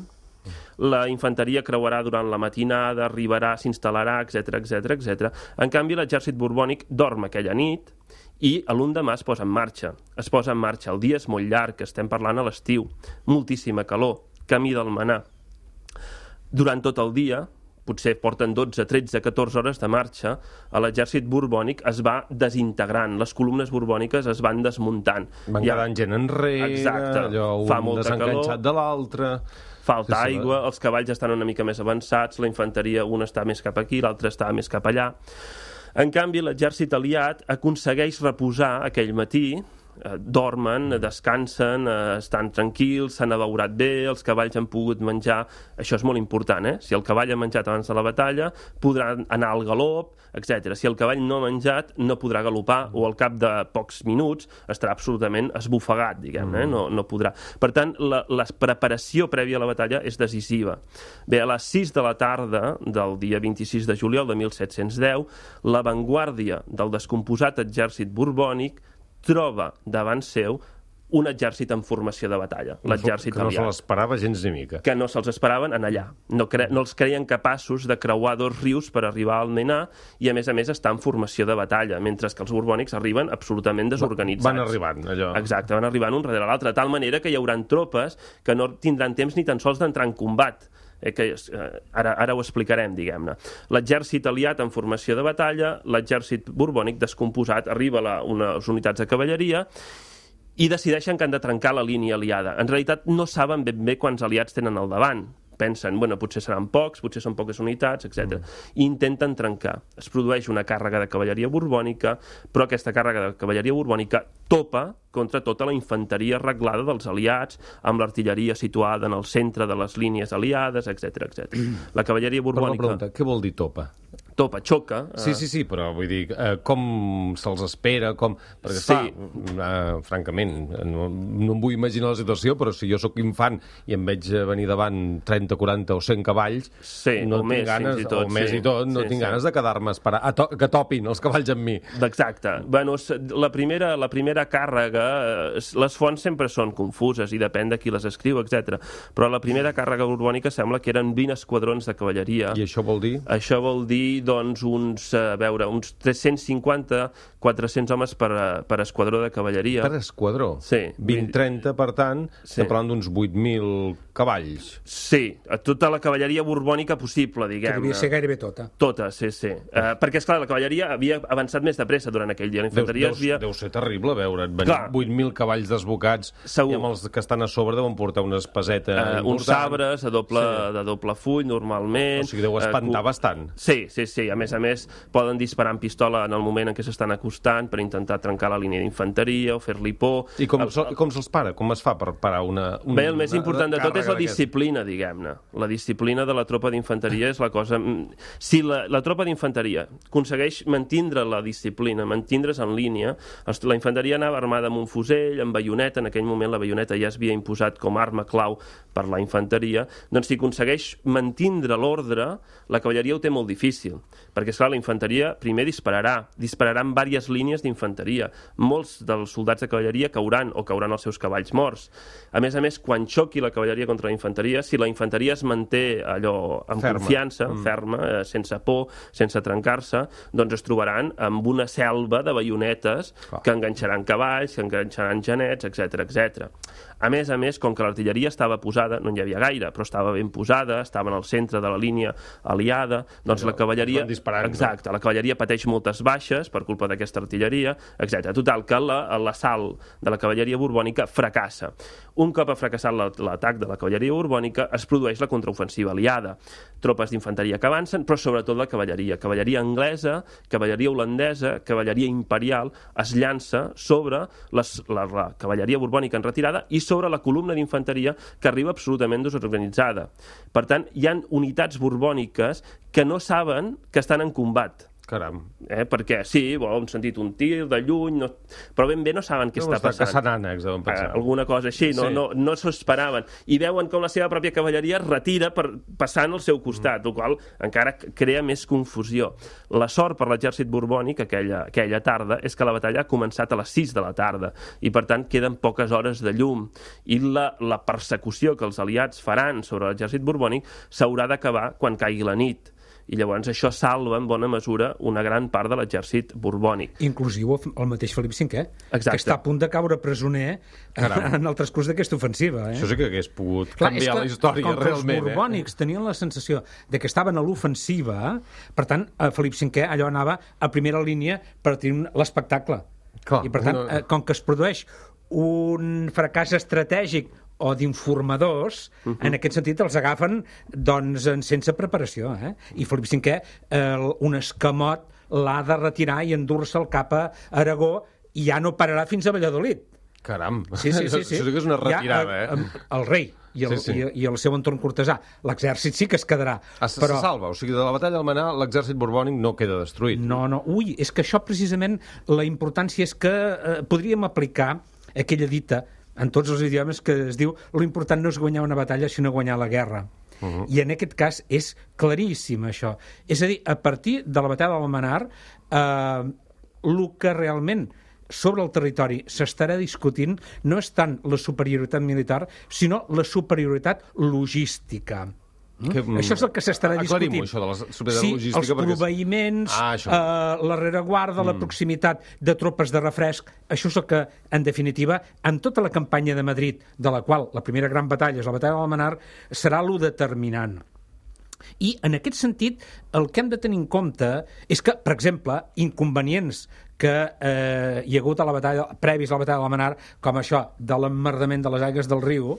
La infanteria creuarà durant la matinada, arribarà, s'instal·larà, etcètera, etcètera, etcètera. En canvi, l'exèrcit borbònic dorm aquella nit i l'endemà es posa en marxa. Es posa en marxa. El dia és molt llarg, estem parlant a l'estiu, moltíssima calor, camí d'Almenar. Durant tot el dia, potser porten dotze, tretze, catorze hores de marxa, l'exèrcit borbònic es va desintegrant, les columnes borbòniques es van desmuntant. Van quedant gent enrere, exacte, allò un desenganxat de l'altre... Falta sí, aigua, els cavalls estan una mica més avançats, la infanteria un està més cap aquí, l'altre està més cap allà. En canvi, l'exèrcit aliat aconsegueix reposar aquell matí, eh, dormen, descansen, eh, estan tranquils, s'han abeurat bé, els cavalls han pogut menjar. Això és molt important, eh? Si el cavall ha menjat abans de la batalla, podrà anar al galop, etcètera. Si el cavall no ha menjat, no podrà galopar o al cap de pocs minuts estarà absolutament esbufegat, diguem-ne, no, no podrà. Per tant, la, la preparació prèvia a la batalla és decisiva. Bé, a les sis de la tarda del dia vint-i-sis de juliol de mil set-cents deu, l'avantguàrdia del descomposat exèrcit borbònic troba davant seu un exèrcit en formació de batalla, l'exèrcit aliat. Que no se l'esperava gens ni mica. Que no se'ls esperaven en allà. No, cre no els creien capaços de creuar dos rius per arribar al Almenar i, a més a més, estar en formació de batalla, mentre que els borbònics arriben absolutament desorganitzats. Van arribant, allò. Exacte, van arribant un darrere l'altre, de tal manera que hi haurà tropes que no tindran temps ni tan sols d'entrar en combat. Eh, que eh, ara, ara ho explicarem, diguem-ne. L'exèrcit aliat en formació de batalla, l'exèrcit borbònic descomposat, arriba a la, unes unitats de cavalleria i decideixen que han de trencar la línia aliada. En realitat no saben ben bé quants aliats tenen al davant. Pensen, bueno, potser seran pocs, potser són poques unitats, etcètera. I intenten trencar. Es produeix una càrrega de cavalleria borbònica, però aquesta càrrega de cavalleria borbònica topa contra tota la infanteria reglada dels aliats, amb l'artilleria situada en el centre de les línies aliades, etcètera, etcètera. La cavalleria borbònica... Però la pregunta, què vol dir topa? Topa, xoca. Sí, sí, sí, però vull dir, eh, com se'ls espera, com... Perquè, sí. Fa, eh, francament, no, no em vull imaginar la situació, però si jo sóc infant i em veig venir davant trenta, quaranta o cent cavalls, sí, no o tinc més, ganes, fins i tot, o més sí, i tot, no sí, tinc sí. ganes de quedar-me a esperar, a to que topin els cavalls amb mi. Exacte. Bueno, la primera, la primera càrrega, les fonts sempre són confuses i depèn de qui les escriu, etcètera. Però la primera càrrega borbònica sembla que eren vint esquadrons de cavalleria. I això vol dir? Això vol dir, doncs, uns, a veure, uns tres-cents cinquanta, quatre-cents homes per, per esquadró de cavalleria. Per esquadró? Sí. vint trenta, per tant, sí. Estem parlant d'uns vuit mil cavalls. Sí, tota la cavalleria borbònica possible, diguem-ne. Que devia ser gairebé tota. Tota, sí, sí. Uh, perquè, esclar, la cavalleria havia avançat més de pressa durant aquell dia. La infanteria deu, deu, havia... deu ser terrible veure't venir vuit mil cavalls desbocats. Segur. I amb els que estan a sobre deuen portar una espaseta uh, important. Uns sabres a doble, sí. de doble full, normalment. O sigui, deu espantar uh, bastant. Sí, sí, sí. A més a més, poden disparar amb pistola en el moment en què s'estan acostant per intentar trencar la línia d'infanteria o fer-li por. I com, el, el... com se'ls para? Com es fa per parar una... una Bé, el més important de tot és la disciplina, diguem-ne. La disciplina de la tropa d'infanteria és la cosa... Si la, la tropa d'infanteria aconsegueix mantindre la disciplina, mantindre's en línia, la infanteria anava armada amb un fusell, amb baioneta, en aquell moment la baioneta ja es havia imposat com a arma clau per la infanteria, doncs si aconsegueix mantindre l'ordre, la cavalleria ho té molt difícil, perquè, esclar, la infanteria primer dispararà, dispararà en diverses línies d'infanteria. Molts dels soldats de cavalleria cauran o cauran els seus cavalls morts. A més a més, quan xoqui la cavalleria contra la infanteria, si la infanteria es manté allò amb ferma. confiança, mm. ferma, eh, sense por, sense trencar-se, doncs es trobaran amb una selva de baionetes oh. que enganxaran cavalls, que enganxaran genets, etcètera, etcètera. A més a més, com que l'artilleria estava posada, no n'hi havia gaire, però estava ben posada, estava en el centre de la línia aliada, doncs Allò, la cavalleria... Exacte, no? La cavalleria pateix moltes baixes per culpa d'aquesta artilleria, etcètera. Total, que l'assalt de la cavalleria borbònica fracassa. Un cop ha fracassat l'atac de la cavalleria borbònica, es produeix la contraofensiva aliada. Tropes d'infanteria que avancen, però sobretot la cavalleria. Cavalleria anglesa, cavalleria holandesa, cavalleria imperial, es llança sobre les, la, la cavalleria borbònica en retirada i sobre la columna d'infanteria que arriba absolutament desorganitzada. Per tant, hi ha unitats borbòniques que no saben que estan en combat. Caram. Eh, perquè sí, bo, hem sentit un tir de lluny, no... però ben bé no saben què no, està passant. Caçant ànecs, deuen pensar. Eh, alguna cosa així, no, sí. no, no s'ho esperaven. I veuen com la seva pròpia cavalleria es retira per, passant al seu costat, mm. el qual encara crea més confusió. La sort per l'exèrcit borbònic aquella, aquella tarda és que la batalla ha començat a les sis de la tarda i, per tant, queden poques hores de llum. I la, la persecució que els aliats faran sobre l'exèrcit borbònic s'haurà d'acabar quan caigui la nit. I llavors això salva en bona mesura una gran part de l'exèrcit borbònic. Inclusiu el mateix Felip cinquè, Exacte. que està a punt de caure presoner Caram. en el transcurs d'aquesta ofensiva. Eh? Això sí que hagués pogut Clar, canviar la història, com realment. Els borbònics eh? tenien la sensació de que estaven a l'ofensiva, per tant, Felip cinquè allò anava a primera línia per tenir l'espectacle. I per tant, no... com que es produeix un fracàs estratègic o d'informadors, uh-huh. en aquest sentit els agafen doncs, sense preparació. Eh? I Felip cinquè, eh, un escamot, l'ha de retirar i endur-se'l cap a Aragó i ja no pararà fins a Valladolid. Caram, sí, sí, sí, sí. això sí que és una retirada. Ja, eh, el rei i el, sí, sí. I, i el seu entorn cortesà. L'exèrcit sí que es quedarà. Es, però... Se salva, o sigui, de la batalla d'Almenar l'exèrcit borbònic no queda destruït. No, no, ui, és que això precisament, la importància és que eh, podríem aplicar aquella dita en tots els idiomes que es diu lo important no és guanyar una batalla sinó guanyar la guerra. Uh-huh. I en aquest cas és claríssim això. És a dir, a partir de la batalla d'Almenar eh, el que realment sobre el territori s'estarà discutint no és tant la superioritat militar sinó la superioritat logística. Que, això és el que s'estarà discutint. Aclarim-ho, això de la superioritat sí, logística. Els proveïments, ah, eh, la rereguarda, mm. la proximitat de tropes de refresc, això és el que, en definitiva, en tota la campanya de Madrid, de la qual la primera gran batalla és la batalla d'Almenar, serà lo determinant. I, en aquest sentit, el que hem de tenir en compte és que, per exemple, inconvenients que eh, hi ha hagut a la batalla, previs a la batalla d'Almenar, com això de l'emmerdament de les aigües del riu,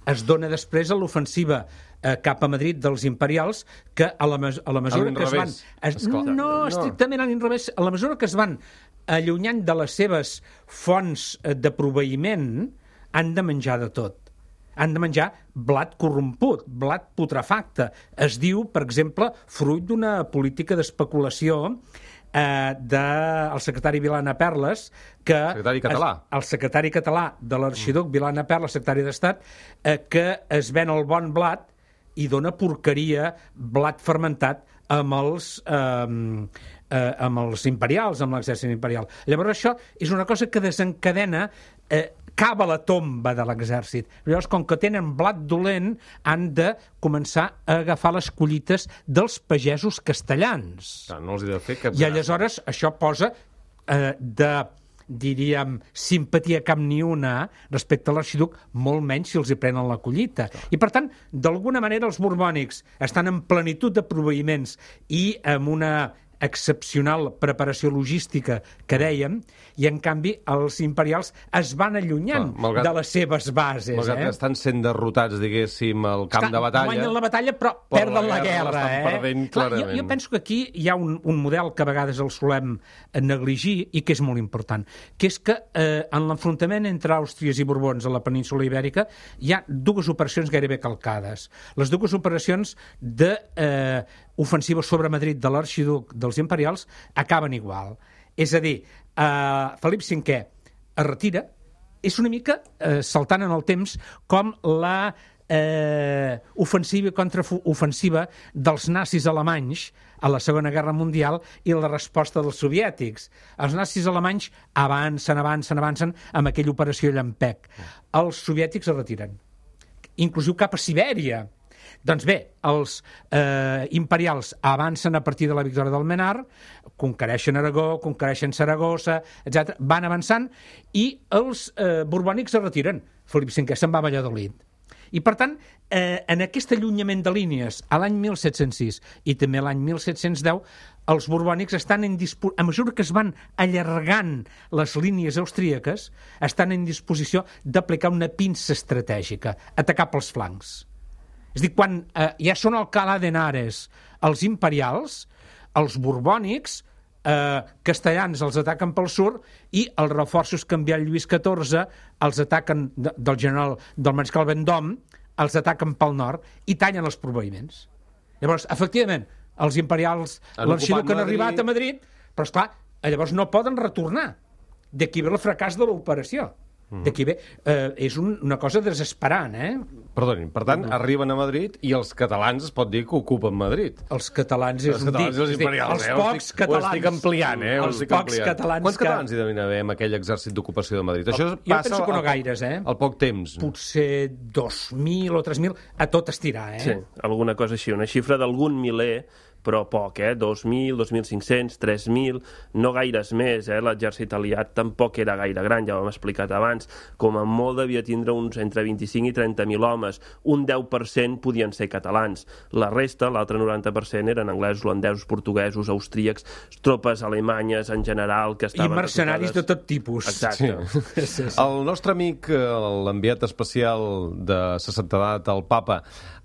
es dona després a l'ofensiva eh, cap a Madrid dels imperials, que a la, mes a la mesura que es van... Es, no, no, estrictament a l'inrevés. A la mesura que es van allunyant de les seves fonts de proveïment, han de menjar de tot. Han de menjar blat corromput, blat putrefacte. Es diu, per exemple, fruit d'una política d'especulació eh, del secretari Vilana Perles, que secretari català. Es, el secretari català de l'arxiduc mm. Vilana Perles, secretari d'Estat, eh, que es ven el bon blat i dona porqueria, blat fermentat, amb els... Eh, eh, amb els imperials, amb l'exèrcit imperial. Llavors això és una cosa que desencadena eh, cava la tomba de l'exèrcit. Llavors, com que tenen blat dolent, han de començar a agafar les collites dels pagesos castellans. Clar, no els hi de fer cap I aleshores això posa eh, de, diríem, simpatia cap ni una respecte a l'arxiduc, molt menys si els hi prenen la collita. Clar. I, per tant, d'alguna manera els borbònics estan en plenitud de proveïments i amb una excepcional preparació logística que dèiem, i en canvi els imperials es van allunyant Clar, malgrat, de les seves bases. Malgrat eh? que estan sent derrotats, diguéssim, al camp Estan, de batalla... Guanyen la batalla, però perden la guerra. La guerra eh? perdent, Clar, jo, jo penso que aquí hi ha un, un model que a vegades el solem negligir i que és molt important, que és que eh, en l'enfrontament entre Àustries i Borbons a la península Ibèrica hi ha dues operacions gairebé calcades. Les dues operacions de... Eh, ofensiva sobre Madrid de l'arxiduc dels imperials acaben igual. És a dir, eh, Felip cinquè es retira, és una mica eh, saltant en el temps com la eh, ofensiva contra ofensiva dels nazis alemanys a la Segona Guerra Mundial i la resposta dels soviètics. Els nazis alemanys avancen, avancen, avancen amb aquella operació Llampec. Els soviètics es retiren, inclusiu cap a Sibèria. Doncs bé, els eh, imperials avancen a partir de la victòria d'Almenar, conquereixen Aragó, conquereixen Saragossa, etcètera, van avançant i els eh, borbònics es retiren. Felip cinquè se'n va a Valladolid. I, per tant, eh, en aquest allunyament de línies a l'any mil set-cents sis i també l'any mil set-cents deu, els borbònics estan en disposició, a mesura que es van allargant les línies austríaques, estan en disposició d'aplicar una pinça estratègica, atacar pels flancs. És a dir, quan eh, ja són a Alcalá de Henares els imperials, els borbònics, eh, castellans els ataquen pel sud i els reforços que envia Lluís catorze els ataquen, de, del general del mariscal Vendôme, els ataquen pel nord i tallen els proveïments. Llavors, efectivament, els imperials, l'arxiduc que han arribat a Madrid, però esclar, llavors no poden retornar. D'aquí ve el fracàs de l'operació. D'aquí ve, eh, és un, una cosa desesperant, eh? Perdonin, per tant, arriben a Madrid i els catalans es pot dir que ocupen Madrid. Els catalans és els un catalans dir, els imperials, els eh? pocs estic, catalans. Ho estic ampliant, eh? Els estic pocs ampliant. catalans Quants que... catalans hi devien haver en aquell exèrcit d'ocupació de Madrid? Això jo passa penso que no al, gaires, eh? Al poc temps. Potser dos mil o tres mil, a tot estirar, eh? Sí, alguna cosa així, una xifra d'algun miler, però poc, eh? dos mil, dos mil cinc-cents, tres mil, no gaires més, eh? L'exèrcit aliat tampoc era gaire gran, ja ho hem explicat abans, com a molt devia tindre uns entre vint-i-cinc i trenta mil homes, un deu per cent podien ser catalans, la resta, l'altre noranta per cent, eren anglesos, holandesos, portuguesos, austríacs, tropes alemanyes en general, que estaven... I mercenaris de tot tipus. Exacte. Sí. Sí, sí. El nostre amic, l'enviat especial de sa santedat, el papa,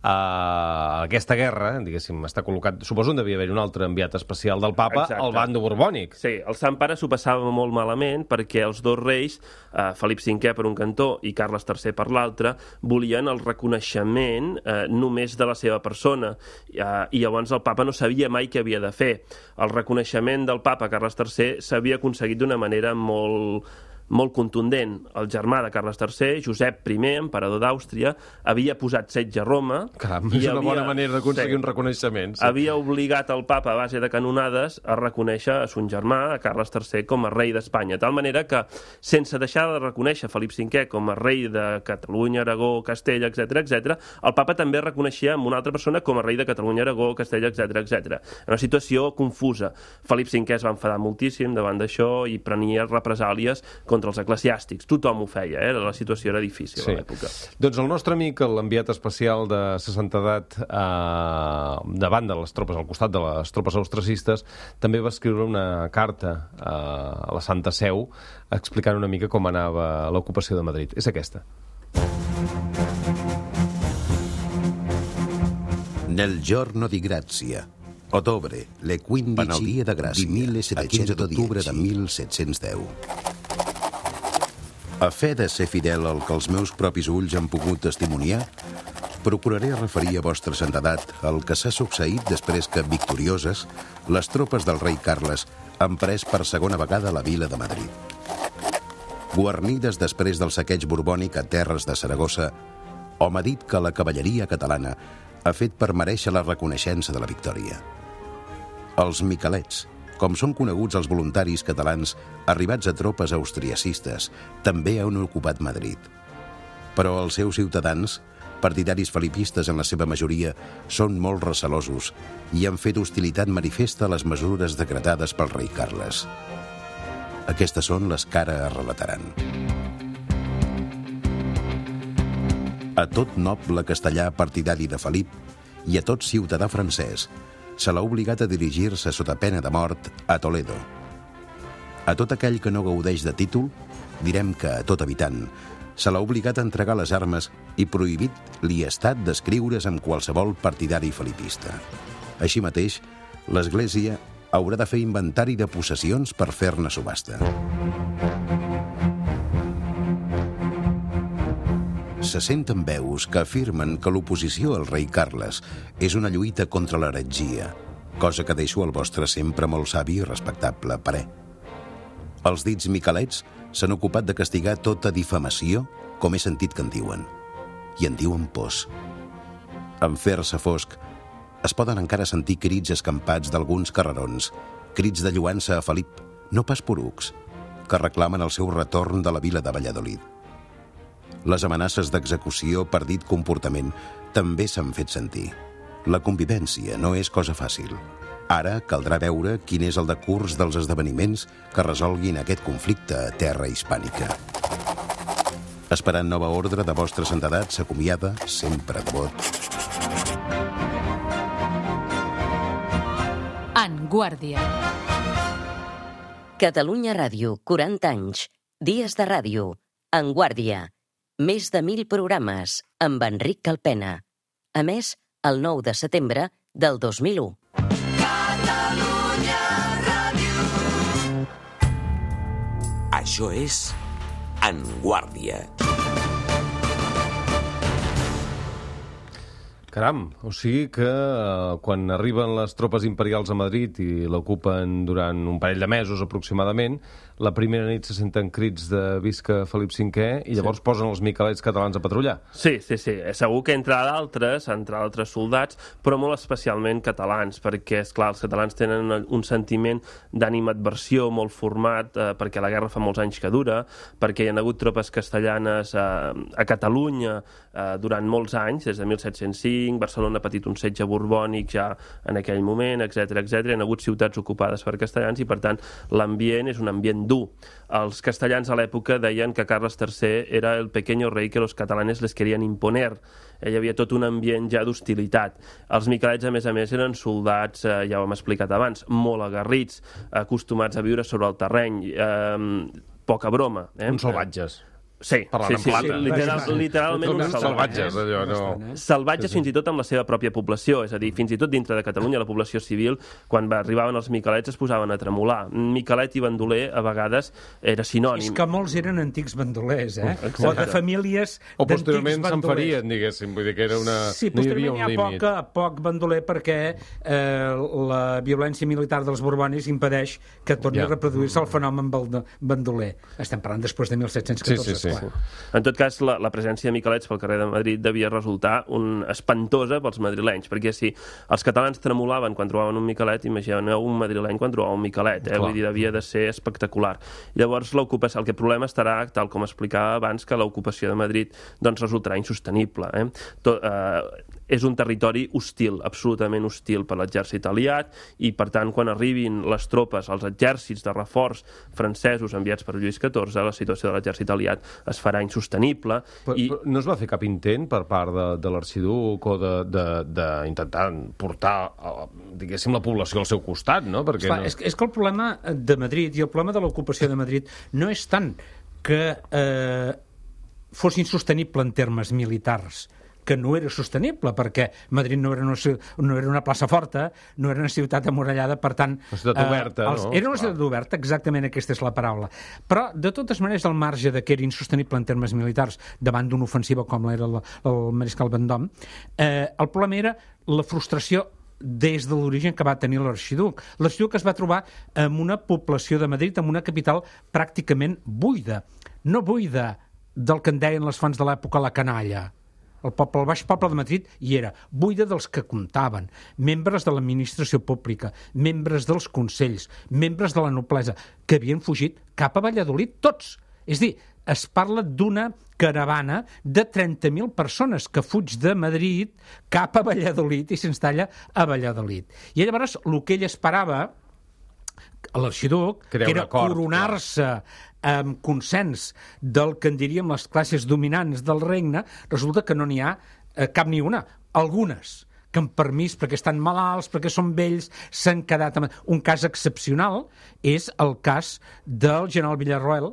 a aquesta guerra, diguéssim, està col·locat... Suposo que devia haver un altre enviat especial del papa, exacte, al bando borbònic. Sí, el Sant Pare s'ho passava molt malament perquè els dos reis, eh, Felip cinquè per un cantó i Carles tercer per l'altre, volien el reconeixement eh, només de la seva persona. Eh, I llavors el papa no sabia mai què havia de fer. El reconeixement del papa Carles tercer s'havia aconseguit d'una manera molt... molt contundent. El germà de Carles tercer, Josep primer, emperador d'Àustria, havia posat setge a Roma... Caram, és una havia, bona manera d'aconseguir sí, un reconeixement. Sí. Havia obligat el papa, a base de canonades, a reconèixer a son germà, a Carles tercer, com a rei d'Espanya. De tal manera que, sense deixar de reconèixer Felip cinquè com a rei de Catalunya, Aragó, Castella, etcètera, etcètera, el papa també reconeixia amb una altra persona com a rei de Catalunya, Aragó, Castella, etcètera, etcètera. Una situació confusa. Felip cinquè es va enfadar moltíssim davant d'això i prenia represàlies contra els eclesiàstics. Tothom ho feia, eh? La situació era difícil sí. a l'època. Doncs el nostre amic, l'enviat especial de sa santedat eh, davant de les tropes, al costat de les tropes austracistes, també va escriure una carta eh, a la Santa Seu explicant una mica com anava l'ocupació de Madrid. És aquesta. Nel giorno di grazia, ottobre, le quindici dia de Gràcia, di quinze d'octubre de mil set-cents deu. A fe de ser fidel al que els meus propis ulls han pogut testimoniar, procuraré referir a vostra santedat el que s'ha succeït després que, victorioses, les tropes del rei Carles han pres per segona vegada la vila de Madrid. Guarnides després del saqueig borbònic a terres de Saragossa, hom ha dit que la cavalleria catalana ha fet per merèixer la reconeixença de la victòria. Els miquelets, com són coneguts els voluntaris catalans arribats a tropes austriacistes, també han ocupat Madrid. Però els seus ciutadans, partidaris felipistes en la seva majoria, són molt recelosos i han fet hostilitat manifesta a les mesures decretades pel rei Carles. Aquestes són les que ara es relataran. A tot noble castellà partidari de Felip i a tot ciutadà francès se l'ha obligat a dirigir-se sota pena de mort a Toledo. A tot aquell que no gaudeix de títol, direm que a tot habitant, se l'ha obligat a entregar les armes i prohibit li estat d'escriure's amb qualsevol partidari felipista. Així mateix, l'Església haurà de fer inventari de possessions per fer-ne subhasta. Se senten veus que afirmen que l'oposició al rei Carles és una lluita contra l'heretgia, cosa que deixo al vostre sempre molt savi i respectable parer. Els dits miquelets s'han ocupat de castigar tota difamació, com he sentit que en diuen, i en diuen pors. En fer-se fosc, es poden encara sentir crits escampats d'alguns carrerons, crits de lluança a Felip, no pas porucs, que reclamen el seu retorn de la vila de Valladolid. Les amenaces d'execució per dit comportament també s'han fet sentir. La convivència no és cosa fàcil. Ara caldrà veure quin és el decurs dels esdeveniments que resolguin aquest conflicte a terra hispànica. Esperant nova ordre de vostra santedat, s'acomiada, sempre devot. En Guàrdia. Catalunya Ràdio, quaranta anys. Dies de ràdio. En Guàrdia. Més de mil programes amb Enric Calpena. A més, el nou de setembre del dos mil u. Catalunya Ràdio. Això és En Guàrdia. Caram, o sigui que eh, quan arriben les tropes imperials a Madrid i l'ocupen durant un parell de mesos aproximadament, la primera nit se senten crits de visca Felip cinquè i llavors sí. posen els miquelets catalans a patrullar. Sí, sí, sí. Segur que entre d'altres, entre altres soldats, però molt especialment catalans, perquè, esclar, els catalans tenen un sentiment d'animadversió molt format, eh, perquè la guerra fa molts anys que dura, perquè hi ha hagut tropes castellanes eh, a Catalunya eh, durant molts anys, des de mil set-cents cinc, Barcelona ha patit un setge borbònic ja en aquell moment, etcètera, etcètera. Hi ha hagut ciutats ocupades per castellans i, per tant, l'ambient és un ambient dur. Els castellans a l'època deien que Carles tercer era el pequeño rei que los catalanes les querían imponer. Hi havia tot un ambient ja d'hostilitat. Els miquelets, a més a més, eren soldats, eh, ja ho hem explicat abans, molt aguerrits, acostumats a viure sobre el terreny, eh, poca broma. Eh? Uns salvatges. Sí, sí, sí, sí, literal, literalment uns salvatges. salvatges allò, no... Salvatges fins i tot amb la seva pròpia població, és a dir, fins i tot dintre de Catalunya, la població civil, quan arribaven els miquelets es posaven a tremolar. Miquelet i bandoler a vegades era sinònim. És que molts eren antics bandolers, eh? Exacte. O de famílies d'antics bandolers. O posteriorment se'n farien, diguéssim, vull dir que era una... Sí, posteriorment hi ha poc, poc bandoler perquè eh, la violència militar dels borbonis impedeix que torni ja. a reproduir-se el fenomen bandoler. Estem parlant després de mil set-cents catorze. Sí, sí, sí. Sí. En tot cas, la, la presència de miquelets pel carrer de Madrid devia resultar un espantosa pels madrilenys, perquè si els catalans tremolaven quan trobaven un miquelet, imagineu un madrileny quan trobava un miquelet, eh? Vull dir, devia de ser espectacular. Llavors, l'ocupació, el que problema estarà, tal com explicava abans, que l'ocupació de Madrid doncs, resultarà insostenible. Eh? Tot, eh, és un territori hostil, absolutament hostil per l'exèrcit aliat, i per tant, quan arribin les tropes, els exèrcits de reforç francesos enviats per Lluís catorze, la situació de l'exèrcit aliat es farà insostenible. Però, i... però no es va fer cap intent per part de, de l'arxiduc o d'intentar portar, diguéssim, la població al seu costat, no? Perquè Esclar, no... És, és que el problema de Madrid i el problema de l'ocupació de Madrid no és tant que eh, fos insostenible en termes militars, que no era sostenible, perquè Madrid no era una, no era una plaça forta, no era una ciutat amurallada, per tant... Una ciutat oberta, eh, els, no? Era una ciutat oberta, exactament aquesta és la paraula. Però, de totes maneres, al marge de que era insostenible en termes militars davant d'una ofensiva com era el, el Mariscal Vendôme, eh, el problema era la frustració des de l'origen que va tenir l'arxiduc. L'arxiduc es va trobar amb una població de Madrid, amb una capital pràcticament buida. No buida del que en deien les fonts de l'època la canalla. El poble, el baix poble de Madrid hi era, buida dels que comptaven, membres de l'administració pública, membres dels consells, membres de la noblesa, que havien fugit cap a Valladolid, tots. És a dir, es parla d'una caravana de trenta mil persones que fuig de Madrid cap a Valladolid i s'instal·la a Valladolid. I llavors el que ell esperava, l'arxiduc, que era coronar-se amb consens del que en diríem les classes dominants del regne, resulta que no n'hi ha eh, cap ni una. Algunes que amb permís, perquè estan malalts, perquè són vells, s'han quedat... Amb... Un cas excepcional és el cas del general Villarroel,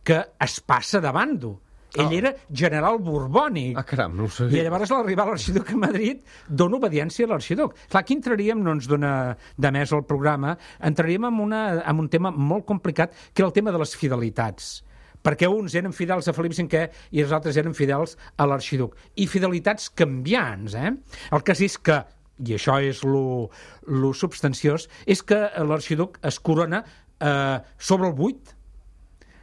que es passa de bando. Ell oh. era general borbònic. Ah, caram, no ho sabia. I llavors, a l'arribar a l'arxiduc a Madrid, dona obediència a l'arxiduc. Clar, aquí entraríem, no ens dona de més el programa, entraríem en, una, en un tema molt complicat, que era el tema de les fidelitats. Perquè uns eren fidels a Felip cinquè i els altres eren fidels a l'arxiduc. I fidelitats canviants, eh? El cas és que, i això és lo, lo substanciós, és que l'arxiduc es corona eh, sobre el buit.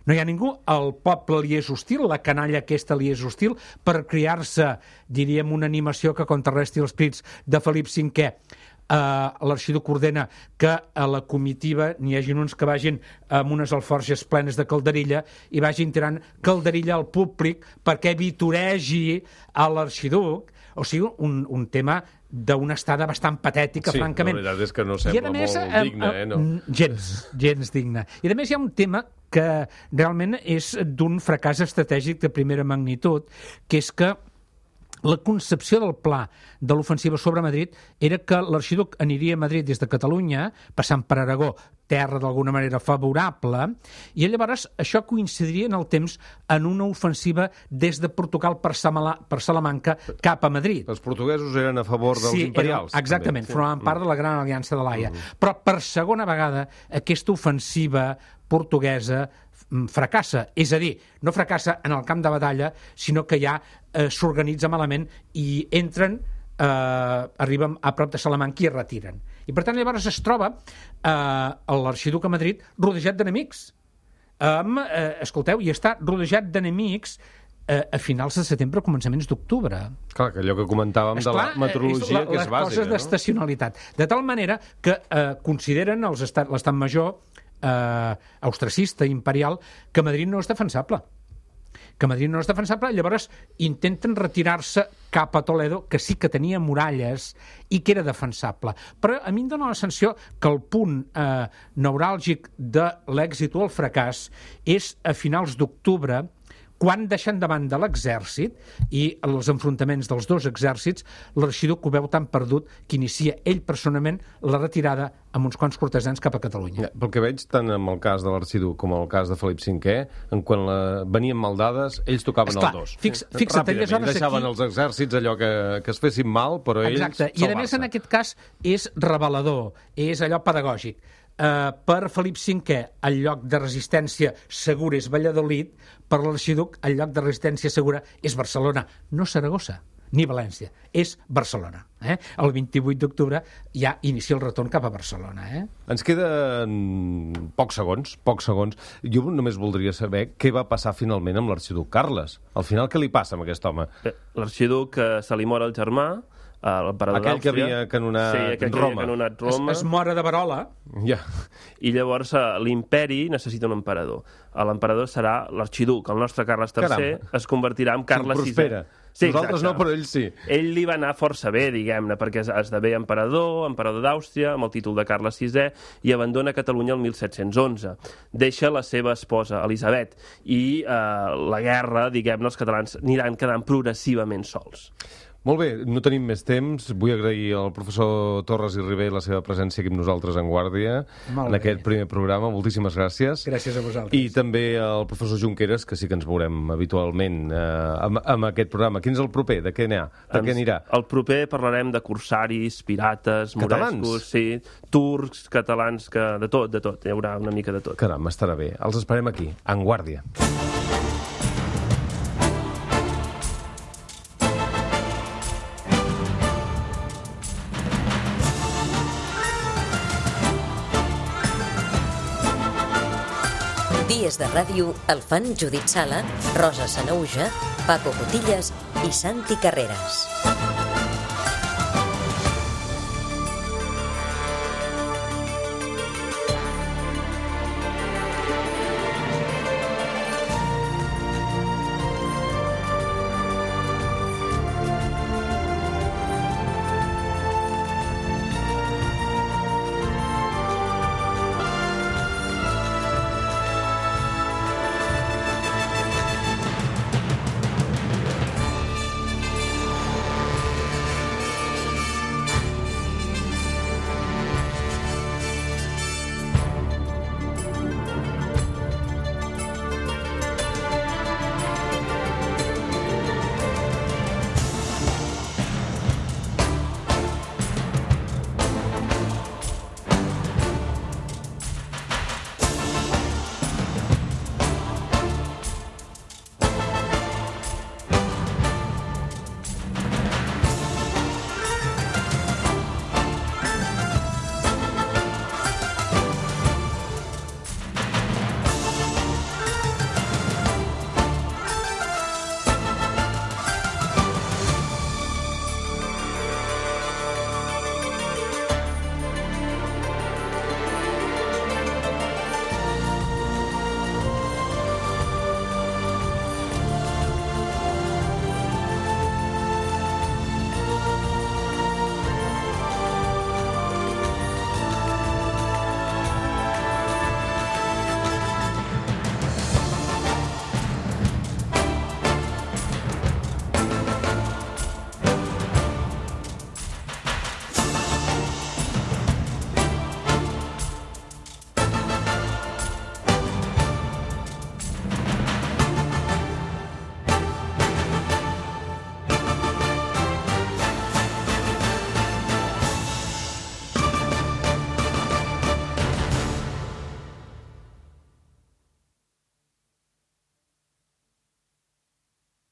No hi ha ningú, el poble li és hostil, la canalla aquesta li és hostil, per crear-se, diríem, una animació que contrarresti els crits de Felip cinquè. Uh, l'arxiduc ordena que a la comitiva n'hi hagin uns que vagin amb unes alforges plenes de calderilla i vagin tirant calderilla al públic perquè vitoregi a l'arxiduc. O sigui, un, un tema d'una estada bastant patètica, sí, francament. Sí, la veritat és que no sembla més, molt digne, eh? No? Gens, gens digne. I a més hi ha un tema que realment és d'un fracàs estratègic de primera magnitud, que és que la concepció del pla de l'ofensiva sobre Madrid era que l'arxiduc aniria a Madrid des de Catalunya, passant per Aragó, terra d'alguna manera favorable, i llavors això coincidiria en el temps en una ofensiva des de Portugal per, Samala, per Salamanca cap a Madrid. Els portuguesos eren a favor dels sí, imperials. Eren, exactament, formaven part de la Gran Aliança de l'Haia. Mm. Però per segona vegada aquesta ofensiva portuguesa fracassa, és a dir, no fracassa en el camp de batalla, sinó que ja eh, s'organitza malament i entren eh, arriben a prop de Salamanca i es retiren. I per tant llavors es troba eh, l'arxiduc a Madrid rodejat d'enemics. Um, eh, escolteu, i està rodejat d'enemics eh, a finals de setembre, començaments d'octubre. Clar, que allò que comentàvem Esclar, de la meteorologia, la, que és bàsica, les coses d'estacionalitat. De tal manera que eh, consideren els estat, l'estat major eh, austracista, imperial, que Madrid no és defensable. que Madrid no és defensable, llavors intenten retirar-se cap a Toledo, que sí que tenia muralles i que era defensable. Però a mi em dóna la sensació que el punt eh, neuràlgic de l'èxit o el fracàs és a finals d'octubre, quan deixen davant de l'exèrcit i els enfrontaments dels dos exèrcits, l'arxiduc ho veu tan perdut que inicia ell personalment la retirada amb uns quants cortesans cap a Catalunya. Ja, pel que veig, tant en el cas de l'arxiduc com en el cas de Felip cinquè, en quan la... venien maldades, ells tocaven Esclar, el dos. Fix, fixa't, ràpidament, deixaven aquí... els exèrcits allò que, que es fessin mal, però ells Exacte. I a més en aquest cas és revelador, és allò pedagògic. Uh, per Felip cinquè el lloc de resistència segura és Valladolid, per l'arxiduc el lloc de resistència segura és Barcelona, no Saragossa ni València, és Barcelona. Eh? El vint-i-vuit d'octubre ja inicia el retorn cap a Barcelona. Eh? Ens queden pocs segons, pocs segons. Jo només voldria saber què va passar finalment amb l'arxiduc Carles. Al final, què li passa amb aquest home? L'arxiduc eh, se li mor el germà, l'emperador aquell que havia canonat sí, aquell Roma. Que havia canonat Roma. Es, es mora de Verola. Ja. I llavors l'imperi necessita un emperador. L'emperador serà l'arxiduc. El nostre Carles tercer Caram. es convertirà en Carles sisè. Sí, nosaltres exacte. no, però ell sí. Ell li va anar força bé, diguem-ne, perquè esdevé emperador, emperador d'Àustria, amb el títol de Carles sisè, i abandona Catalunya el mil set-cents onze. Deixa la seva esposa, Elisabet, i eh, la guerra, diguem-ne, els catalans aniran quedant progressivament sols. Molt bé, no tenim més temps. Vull agrair al professor Torres i Ribé la seva presència aquí amb nosaltres en Guàrdia, en aquest primer programa. Moltíssimes gràcies. Gràcies a vosaltres. I també al professor Junqueras, que sí que ens veurem habitualment eh, amb, amb aquest programa. Quin és el proper? De què anirà? De què anirà? El proper parlarem de corsaris, pirates, morescos, sí, turcs, catalans, que de tot, de tot. Hi haurà una mica de tot. Caram, estarà bé. Els esperem aquí, en Guàrdia. Dies de ràdio el fan Judit Sala, Rosa Sanauja, Paco Cotillas i Santi Carreras.